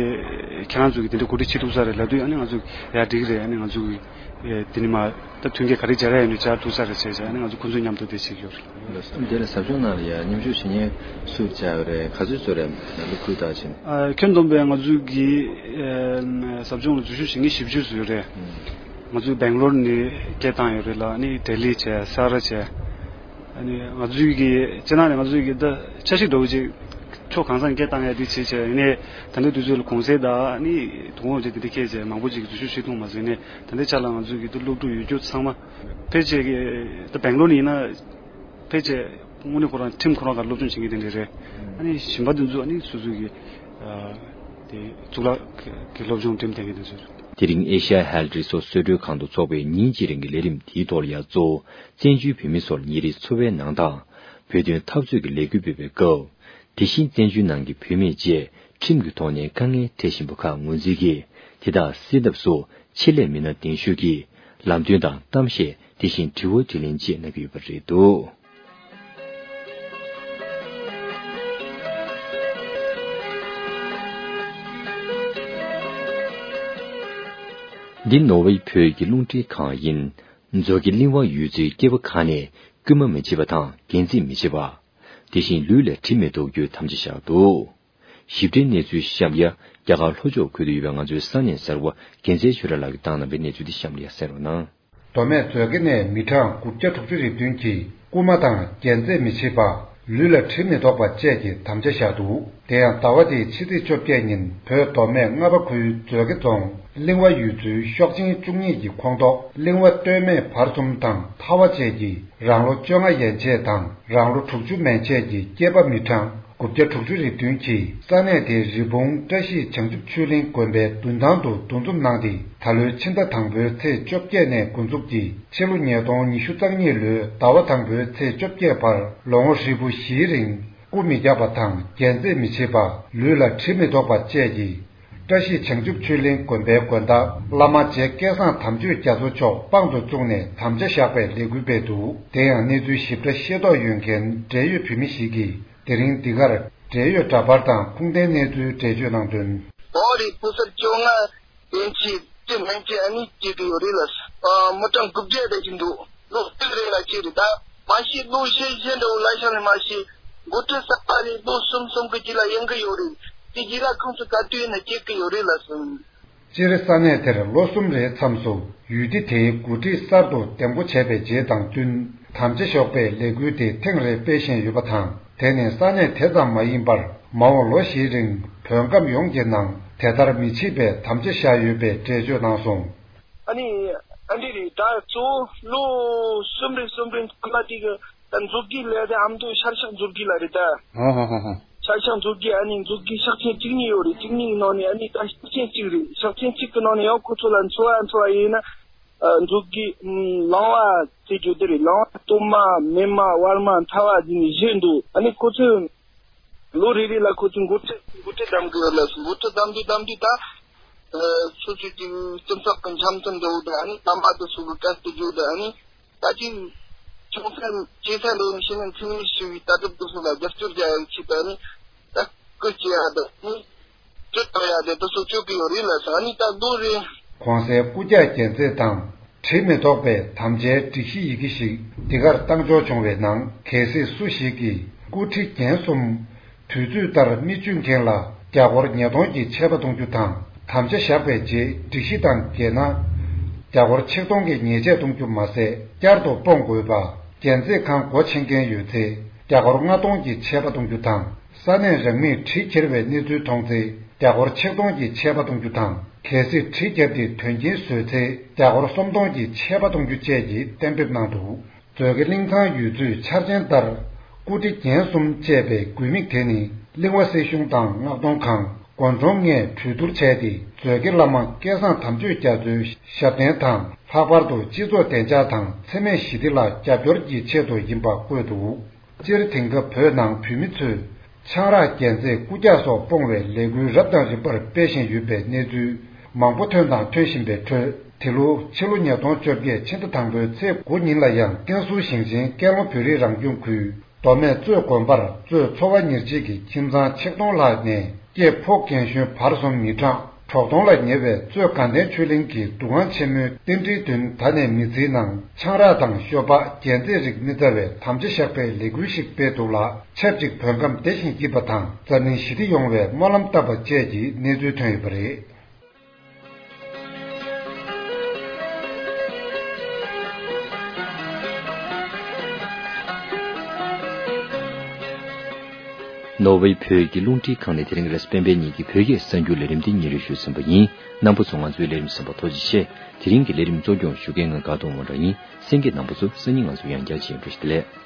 ཁྱེད་རང་ཚོ་གི་དེ་འདྲ་གོ་སྒྲིག་བྱེད་ཐུབ་ས་རེད་ལབ་དུས། ཨ་ནི་ང་ཚོ་ཡ་འགྲིག་རེད། ཨ་ནི་ང་ཚོ་གི་དེ་ནི་མ་ད་མཐུན་རྐྱེན་ག་རེ་སྦྱར་ཡ་ཡོད་ན་སྦྱར་ཐུབ་ས་རེད་བྱས་བྱས། ཨ་ནི་ང་ཚོ་ཁོང་ཚོ་མཉམ་དུ་དེ་བྱེད་ཀྱི་ཡོད་རེད། འདི་ལ་ཟབ་སྦྱོང་ནང་ལ་ཡ་མཉམ་ཞུགས་བྱེད་མཁན་སུ་བཅར་ཡོད་རེད། ག་ཚོད་ཚོད་རེད། སློབ་ཕྲུག་དག་ཕྱིན། ཨ། ཁྱོན་བསྡོམས་པས་ང་ཚོ་གི་ཨ་ཟབ་སྦྱོང་ལ་འཛུལ་ཞུགས་བྱེད་མཁན་བཞི་བཅུ་ཙམ་ཡོད་རེད། ང་ཚོ་སྦེང་ལོར་ནས་སྐད་བཏང་ཡོད་རེད་ལ། ཨ་ནི་ལྡི་ལི་བྱས། ས་ར་བྱས། ཨ་ནི་ང་ཚོའི་གི་སྤྱིར་ནང་ནས་ང་ཚོའི་གི་ད་འཆར་གཞི་འདྲ་བོ་ཅིག་ཕྱོགས་གང་ས་ནས་སྐད་བཏང་ཡ་དེ་བྱེད་བྱས། ཡིན་ནའི་ད་ལྟའི་དུས་ཚོད་ལ་གུང་སེང་དང་ཨ་ནི་དུས་དགོང་བྱས་དེ་འདྲ་འཁེལ་བྱས་མང་པོ་ཅིག་གི་འཛུལ་ཞུགས་བྱེད་ཐུབ་མ་སོང་། ཡིན་ནའི་ད་ལྟའི་ཆ་ལ་ང་ཚོའི་གི་ད་སློབ་ཕྲུག་ཡོད་རྒྱུ་ཚང་མ་ཕལ་ཆེར་གི་ད་སྦེང་ལོར་ནས་ཡིན་ན་ཕལ་ཆེར་དངོས་གནས་ཁོ་རང་ཁྲིམས་ཁོ་རང་ག་སློབ་སྦྱོང་བྱེད་མཁན་དེ་འདྲ་རེད། ཨ་ནི་གཞན་པ་དེ་ཚོ་ཨ་ནི་སོ་སོའི་གི་ཨ་དེ་གཙུག་ལག་གི་སློབ་སྦྱོང་འགྲིམ་བསྡད་མཁན་དེ་ཚོ་རེད། དེ་རིང་ཨེ་ཤ་ཡ་ཧལ་རིག་གསོ་གསོལ་མགྲོན་ཁང་དུ་འཚོགས་པའི་ཉིན་གཅིག་རིང་གི་ལས་རིམ་དེའི་ཐོག་ལ་ཡང་གཙོ་བོ་བཙན་བྱོལ་བོད་མི་ཚོར་ཉིན་རེའི་འཚོ་བའི་ནང་དང་བོད་དོན་འཐབ་རྩོད་ཀྱི་ལས་འགུལ་སྤེལ་བའི་སྐབས། དེ་བཞིན་བཙན་བྱོལ་ནང་གི་བོད་མི་བཅས་ཁྲིམས་ཀྱི་ཐོག་ནས་དཀའ་ངལ་འཕྲད་བཞིན་པ་ཁག་ངོས་འཛིན་གྱིས་དེ་དག་སེལ་ཐབས་སུ་ཆེད་ལས་མི་སྣ་གདན་ཞུ་གིས་ལམ་སྟོན་དང་གཏམ་བཤད། དེ་བཞིན་དྲི་བ་དྲིས་ལན་བཅས་གནང་གི་ཡོད་པ་རེད་འདུག་འདི་ནོར་ཝེ་བོད་ཀྱི་རླུང་འཕྲིན་ཁང་ཡིན། མཛོད་དགེ་གླིང་བ་ཡུལ་ཚོའི་སྐྱེས་པ་ཁག་ནས་སྐུལ་མ་མི་བྱེད་པ་དང་འགན་འཛིན་མི་བྱེད་པ། དེ་བཞིན་ལུས་ལ་གྲིབ་མི་ཐོགས་རྒྱུའི་དམ་བཅའ་བཞག་འདུག་ཞིབ་ཕྲའི་གནས་ཚུལ་གཤམ་ལ་རྒྱ་གར་ལྷོ་ཕྱོགས་ཁུལ་དུ་ཡོད་པའི་ང་ཚོའི་ས་གནས་གསར་པ་རྒྱལ་མཚན་ཆོས་གྲགས་ལགས་ཀྱིས་བཏང་གནང་བའི་གནས་ཚུལ་དེ་གཤམ་ལ་ཡ་གསན་རོགས་གནང་། མདོ་སྨད་མཛོད་དགེ་ནས་མི་གྲངས་དགུ་བརྒྱ་དྲུག་ཅུ་རེ་བདུན་གྱིས་རྐུ་མ་དང་རྒྱལ་རྩེད་མི་བྱེད་པ། ལུས་ལ་གྲིབ་མི་ཐོགས་པ་བཅས་ཀྱི་དམ་བཅའ་བཞག་འདུག་དེ་ཡང་ཟླ་བ་འདིའི་ཕྱི་ཚེས་བཅོ་བརྒྱད་ཉིན་བོད་མདོ་སྨད་རྔ་པ་ཁུལ་མཛོད་དགེ་རྫོང་གླིང་བ་ཡུལ་ཚོའི་ཤོག་ཆེན་བཅུ་གཉིས་ཀྱི་ཁོངས་གཏོགས་གླིང་བ་སྟོད་སྨད་བར་གསུམ་དང་ཐ་བ་བཅས་ཀྱི་རང་ལོ་བཅོ་ལྔ་ཡན་ཆད་དང་རང་ལོ་དྲུག་ཅུ་མན་ཆད་ཀྱི་སྐྱེས་པ་མི་གྲངས་དགུ་བརྒྱ་དྲུག་ཅུ་རེ་བདུན་གྱིས་ས་གནས་དེའི་རི་བོང་བཀྲ་ཤིས་བྱང་ཆུབ་ཆོས་གླིང་དགོན་པའི་མདུན་ཐང་དུ་འདུ་འཛོམས་གནང་སྟེ། ད་ལོའི་ཕྱི་ཟླ་དང་པོའི་ཚེས་བཅོ་བརྒྱད་ནས་འགོ་འཛུགས་ཀྱིས་ཕྱི་ལོ་ཉིས་སྟོང་ཉི་ཤུ་རྩ་གཉིས་ལོའི་ཟླ་བ་དང་པོའི་ཚེས་བཅོ་བརྒྱད་བར་ལོ་ངོ་ཧྲིལ་པོ་བཞིའི་རིང་རྐུ་མི་རྒྱག་པ་དང་རྒྱལ་རྩེད་མི་བྱེད་པ། ལུས་ལ་གྲིབ་མི་ཐོགས་པ་བཅས་ཀྱིས། བཀྲ་ཤིས་བྱང་ཆུབ་ཆོས་གླིང་དགོན་པའི་དགོན་བདག་བླ་མ་རྗེ་སྐལ་བཟང་དམ་ཆོས་རྒྱ་མཚོ་མཆོག་དཔང་དུ་བཙུགས་ནས་དམ་བཅའ་བཞག་པའི་ལས་འགུལ་སྤེལ་འདུག་དེ་ཡང་གནས་ཚུལ་ཞིབ་ཕྲ་ཤེས་རྟོགས་ཡོད་མཁན་འབྲེལ་ཡོད་བོད་མི་ཞིག་གིས་དེ་རིང་འདི་གར་འབྲེལ་ཡོད་འདྲ་པར་དང་ཁུངས་ལྡན་གནས་ཚུལ་འགྲེལ་བརྗོད་གནང་དོན། ཨོ་རེད། ཕོ་གསར་བཅོ་ལྔ་ཡན་ཆད་དེ་མན་ཆད་ཨ་ནི་སྐྱེ་གི་ཡོད་རེད་ལ། ཨ་མི་གྲངས་དགུ་བརྒྱ་དེ་ཅིག་འདུག་ལོ་གཅིག་རེ་ལ་གཅིག་རེད། ད་མ་གཞི་ལོ་ཤས་ཤས་འདྲ་བོ་ལ་ཤ་ལས་མ་གཞི་འགོ་ཁྲིད་གསར་པ་རེད། ལོ་གསུམ་གསུམ་གི་རྗེས་ལ་ཡོང་གི་ཡོད་རེད། དེ་རྗེས་ལ་ཁོང་ཚོ་ག་དུས་ཡིན་ན་སྐྱེ་གི་ཡོད་རེད་ལ་གསུངས། སྤྱིར་ས་གནས་དེར་ལོ་གསུམ་རེའི་མཚམས་སུ་ཡུལ་སྡེ་དེའི་འགོ་ཁྲིད་གསར་དུ་འདེམས་བསྐོ་བྱས་པའི་རྗེས་དང་བསྟུན་དམ་བཅའ་བཞག་པའི་ལས་འགུལ་དེ་ཐེངས་རེ་སྤེལ་བཞིན་ཡོད་པ་དང་། དེ་ནི་ས་གནས་དེ་ཙམ་མ་ཡིན་པར་མ་འོངས་ལོ་བཞིའི་རིང་བོད་ཁམས་ཡོངས་ཀྱི་ནང་དེ་ལྟར་མི་བྱེད་པའི་དམ་བཅའ་བཞག་ཡོད་པའི་འགྲེལ་བརྗོད་གནང་སོང་། ཨ་ནི་ཨ་འདྲ་རེད། ད་གཙོ་བོ་ལོ་གསུམ་རེ་གསུམ་རེ་ཁ་ལ་དེ་གི་ད་མཛུབ་གུ་ལས་དེ་ཨ་མདོ་ཤར་ཤག་མཛུབ་གུ་ལ་རེད་ད། ཧོ་ཧོ་ཧོ་ཧོ། ཤར་ཤག་མཛུབ་གུ་ཨ་ནི་མཛུབ་གུ་ཤག་ཆེན་བཅུ་གཉིས་ཡོད་རེད། བཅུ་གཉིས་ཀྱི་ནང་ནས་ཨ་ནི་ད་ཤག་ཆེན་གཅིག་རེད། ཤག་ཆེན་གཅིག་གི་ནང་ནས་ཡང་ཁོ་ཚོ་ལ་འཚོ་བ་འཚོ་བ་ཡིན་ན། ཨ་མཛུབ་གུ་ཨམ་ལང་བ་ཟེར་རྒྱུ་དེ་རེད། ལང་བ་སྟོད་མ་སྨད་མ་བར་མ་མཐའ་མ་ཟེར་ནས་བཞི་འདུག་ཨ་ནི་ཁོ་ཚོས་ལོ་རེ་རེ་ལ་ཁོ་ཚོས་འགོ་ཁྲིད་འགོ་ཁྲིད་བདམས་གི་ཡོད་ལ། འགོ་ཁྲིད་བདམས་དུས་བདམས་དུས་ད་ཨ་སོ་སོ་གི་སྤྱི་ཚོགས་ཀྱི་འཆམ་མཐུན་འདྲ་བོ་དང་། ཨ་ནི་དམ་པ་དེ་ཚོ་གི་བཀའ་བརྩི་རྒྱུ་དང་། ཨ་ནི་ད་ཅིག་ཆུང་ས་ཆེ་ས་ལས་ནས་ཤེས་ན་འཚེ་མེད་ཞི་བའི་ལྟ་གྲུབ་དེ་ཚོ་ལ་རྒྱབ་སྐྱོར་རྒྱག་ཡག་ཆེད་དུ་ཨ་ནི་ད་སྐུལ་བྱེད་ཡག་དང་ཨ་ནི་སྤྲོད་གཏོང་ཡག་དེ་དེ་ཚོ་བྱེད་ཀྱི་ཡོད་རེད་ལ་ཟེར། ཨ་ནི་ད་ལོ་རེ། གོང་གསལ་རྐུབ་བཀྱག་རྒྱལ་རྩེད་དང་གྲིབ་མི་ཐོགས་པའི་དམ་བཅའི་སྒྲིག་གཞི་ཡི་གེ་ཞིག་འདི་གར་བཏང་འབྱོར་བྱུང་བའི་ནང་། གལ་སྲིད་སུ་ཞིག་གིས་རྐུ་འཕྲི་རྒྱན་གསུམ། དུས་ཚོད་ལྟར་མི་གཅུན་མཁན་ལ་རྒྱ་སྒོར་ཉིས་སྟོང་གི་ཆད་པ་གཏོང་རྒྱུ་དང་། དམ་བཅའ་བཞག་པའི་རྗེས་སྒྲིག་གཞི་དང་འགལ་ན། རྒྱ་སྒོར་ཆིག་སྟོང་གི་ཉེས་ཆད་གཏོང་རྒྱུ་མ་ཟད། བསྐྱར་དུ་སྤོང་དགོས་པ། རྒྱལ་རྩེད་ཁང་སྒོ་ཕྱེ་མཁན་ཡོད་ཚེ། རྒྱ་སྒོར་ལྔ་སྟོང་གི་ཆད་པ་གཏོང་རྒྱུ་དང་། ས་གནས་རང་མོས་གྲི་འཁྱེར་བའི་གནས་ཚུལ་མཐོང་ཚེ། རྒྱ་སྒོར་ཆིག་སྟོང་གི་ཆད་པ་གཏོང་རྒྱུ་དང་། གལ་སྲིད་གྲི་འཁྱེར་ཏེ་དོན་རྐྱེན་བཟོས་ཚེ། རྒྱ་སྒོར་སུམ་སྟོང་གི་ཆད་པ་གཏོང་རྒྱུ་བཅས་ཀྱི་གཏན་འབེབས་གནང་འདུག་མཛོད་དགེ་གླིང་ཚང་ཡུལ་ཚོའི་འཆར་ཅན་ལྟར། རྐུ་འཕྲི་རྒྱན་གསུམ་ཅེས་པའི་དགོས་དམིགས་དེ་ནི། གླིང་བ་སྲིད་གཞུང་དང་མངགས་གཏོང་ཁང་། དགོན་གྲོང་ལྔས་གྲོས་བསྡུར་བྱས་ཏེ། མཛོད་དགེ་བླ་མ་སྐལ་བཟང་དམ་ཆོས་རྒྱ་མཚོའི་ཞབས་བརྟན་དང་། ལྷག་པར་དུ་སྤྱི་ཚོགས་བདེ་འཇགས་དང་འཚེ་མེད་ཞི་བདེ་ལ་རྒྱབ་སྐྱོར་གྱི་ཆེད་དུ་ཡིན་པ་བཀོད་འདུག་སྤྱིར་དེང་སྐབས་བོད་ནང་བོད་མི་ཚོས་ཆང་རག་རྒྱལ་རྩེད་རྐུབ་བཀྱག་སོགས་སྤོང་བའི་ལས་འགུལ་རབ་དང་རིམ་པར་སྤེལ་བཞིན་ཡོད་པའི་གནས་ཚུལ་མང་པོ་ཐོན་དང་ཐོན་བཞིན་པའི་ཁྲོད། དེ་ལོ་ཕྱི་ལོ་ཉིས་སྟོང་བཅོ་བརྒྱད་ཕྱི་ཟླ་དང་པོའི་ཚེས་དགུ་ཉིན་ལ་ཡང་ཀན་སུའུ་ཞིང་ཆེན་ཀན་ལྷོ་བོད་རིགས་རང་སྐྱོང་ཁུལ་ མདོ་སྨད་གཙོས་དགོན་པར་གཙོས་ཚོ་བ་ཉེར་གཅིག་གི་ཁྱིམ་ཚང་ཆིག་སྟོང་ལྷག་ནས་སྐྱེས་ཕོ་རྒན་གཞོན་བར་གསུམ་མི་གྲངས་དྲུག་སྟོང་ལ་ཉེ་བས་གཙོས་དགའ་ལྡན་ཆོས་གླིང་གི་འདུ་ཁང་ཆེན་མོའི་རྟེན་འབྲེལ་མདུན་ད་ནས་མི་ཚེའི་ནང་ཆང་རག་དང་ཤོ་སྦག་རྒྱན་རྩེད་རིགས་མི་བཙའ་བའི་དམ་བཅའ་བཞག་པའི་ལས་འགུལ་ཞིག་སྤེལ་འདུག་ལ། ཆབས་ཅིག་བོད་ཁམས་བདེ་ཞིང་སྐྱིད་པ་དང་འཛམ་གླིང་ཞི་བདེ་ཡོང་བའི་སྨོན་ལམ་བཏབ་པ་བཅས་ཀྱི་གནས་ཚུལ་ཐོན་ཡོད་པ་རེད། ནོར་ཝེ་བོད་ཀྱི་རླུང་འཕྲིན་ཁང་ནས་དེ་རིང་རེས་གཟའ་སྤེན་པའི་ཉིན་གྱི་བོད་སྐད་གསར་འགྱུར་ལས་རིམ་འདི་སྙན་སྒྲོན་ཞུས་ཟིན་པ་ཡིན། རྣམ་པ་ཚོ་ང་ཚོའི་ལས་རིམ་གསན་པར་ཐུགས་རྗེ་ཆེ། དེ་རིང་གི་ལས་རིམ་གཙོ་སྐྱོང་ཞུ་མཁན་ང་དགའ་གདོང་དབང་གྲགས་ཡིན། གསན་མཁན་རྣམ་པ་ཚོ་སང་ཉིན་ང་ཚོ་ཡང་བསྐྱར་མཇལ་ཡོང་བཀྲ་ཤིས་བདེ་ལེགས།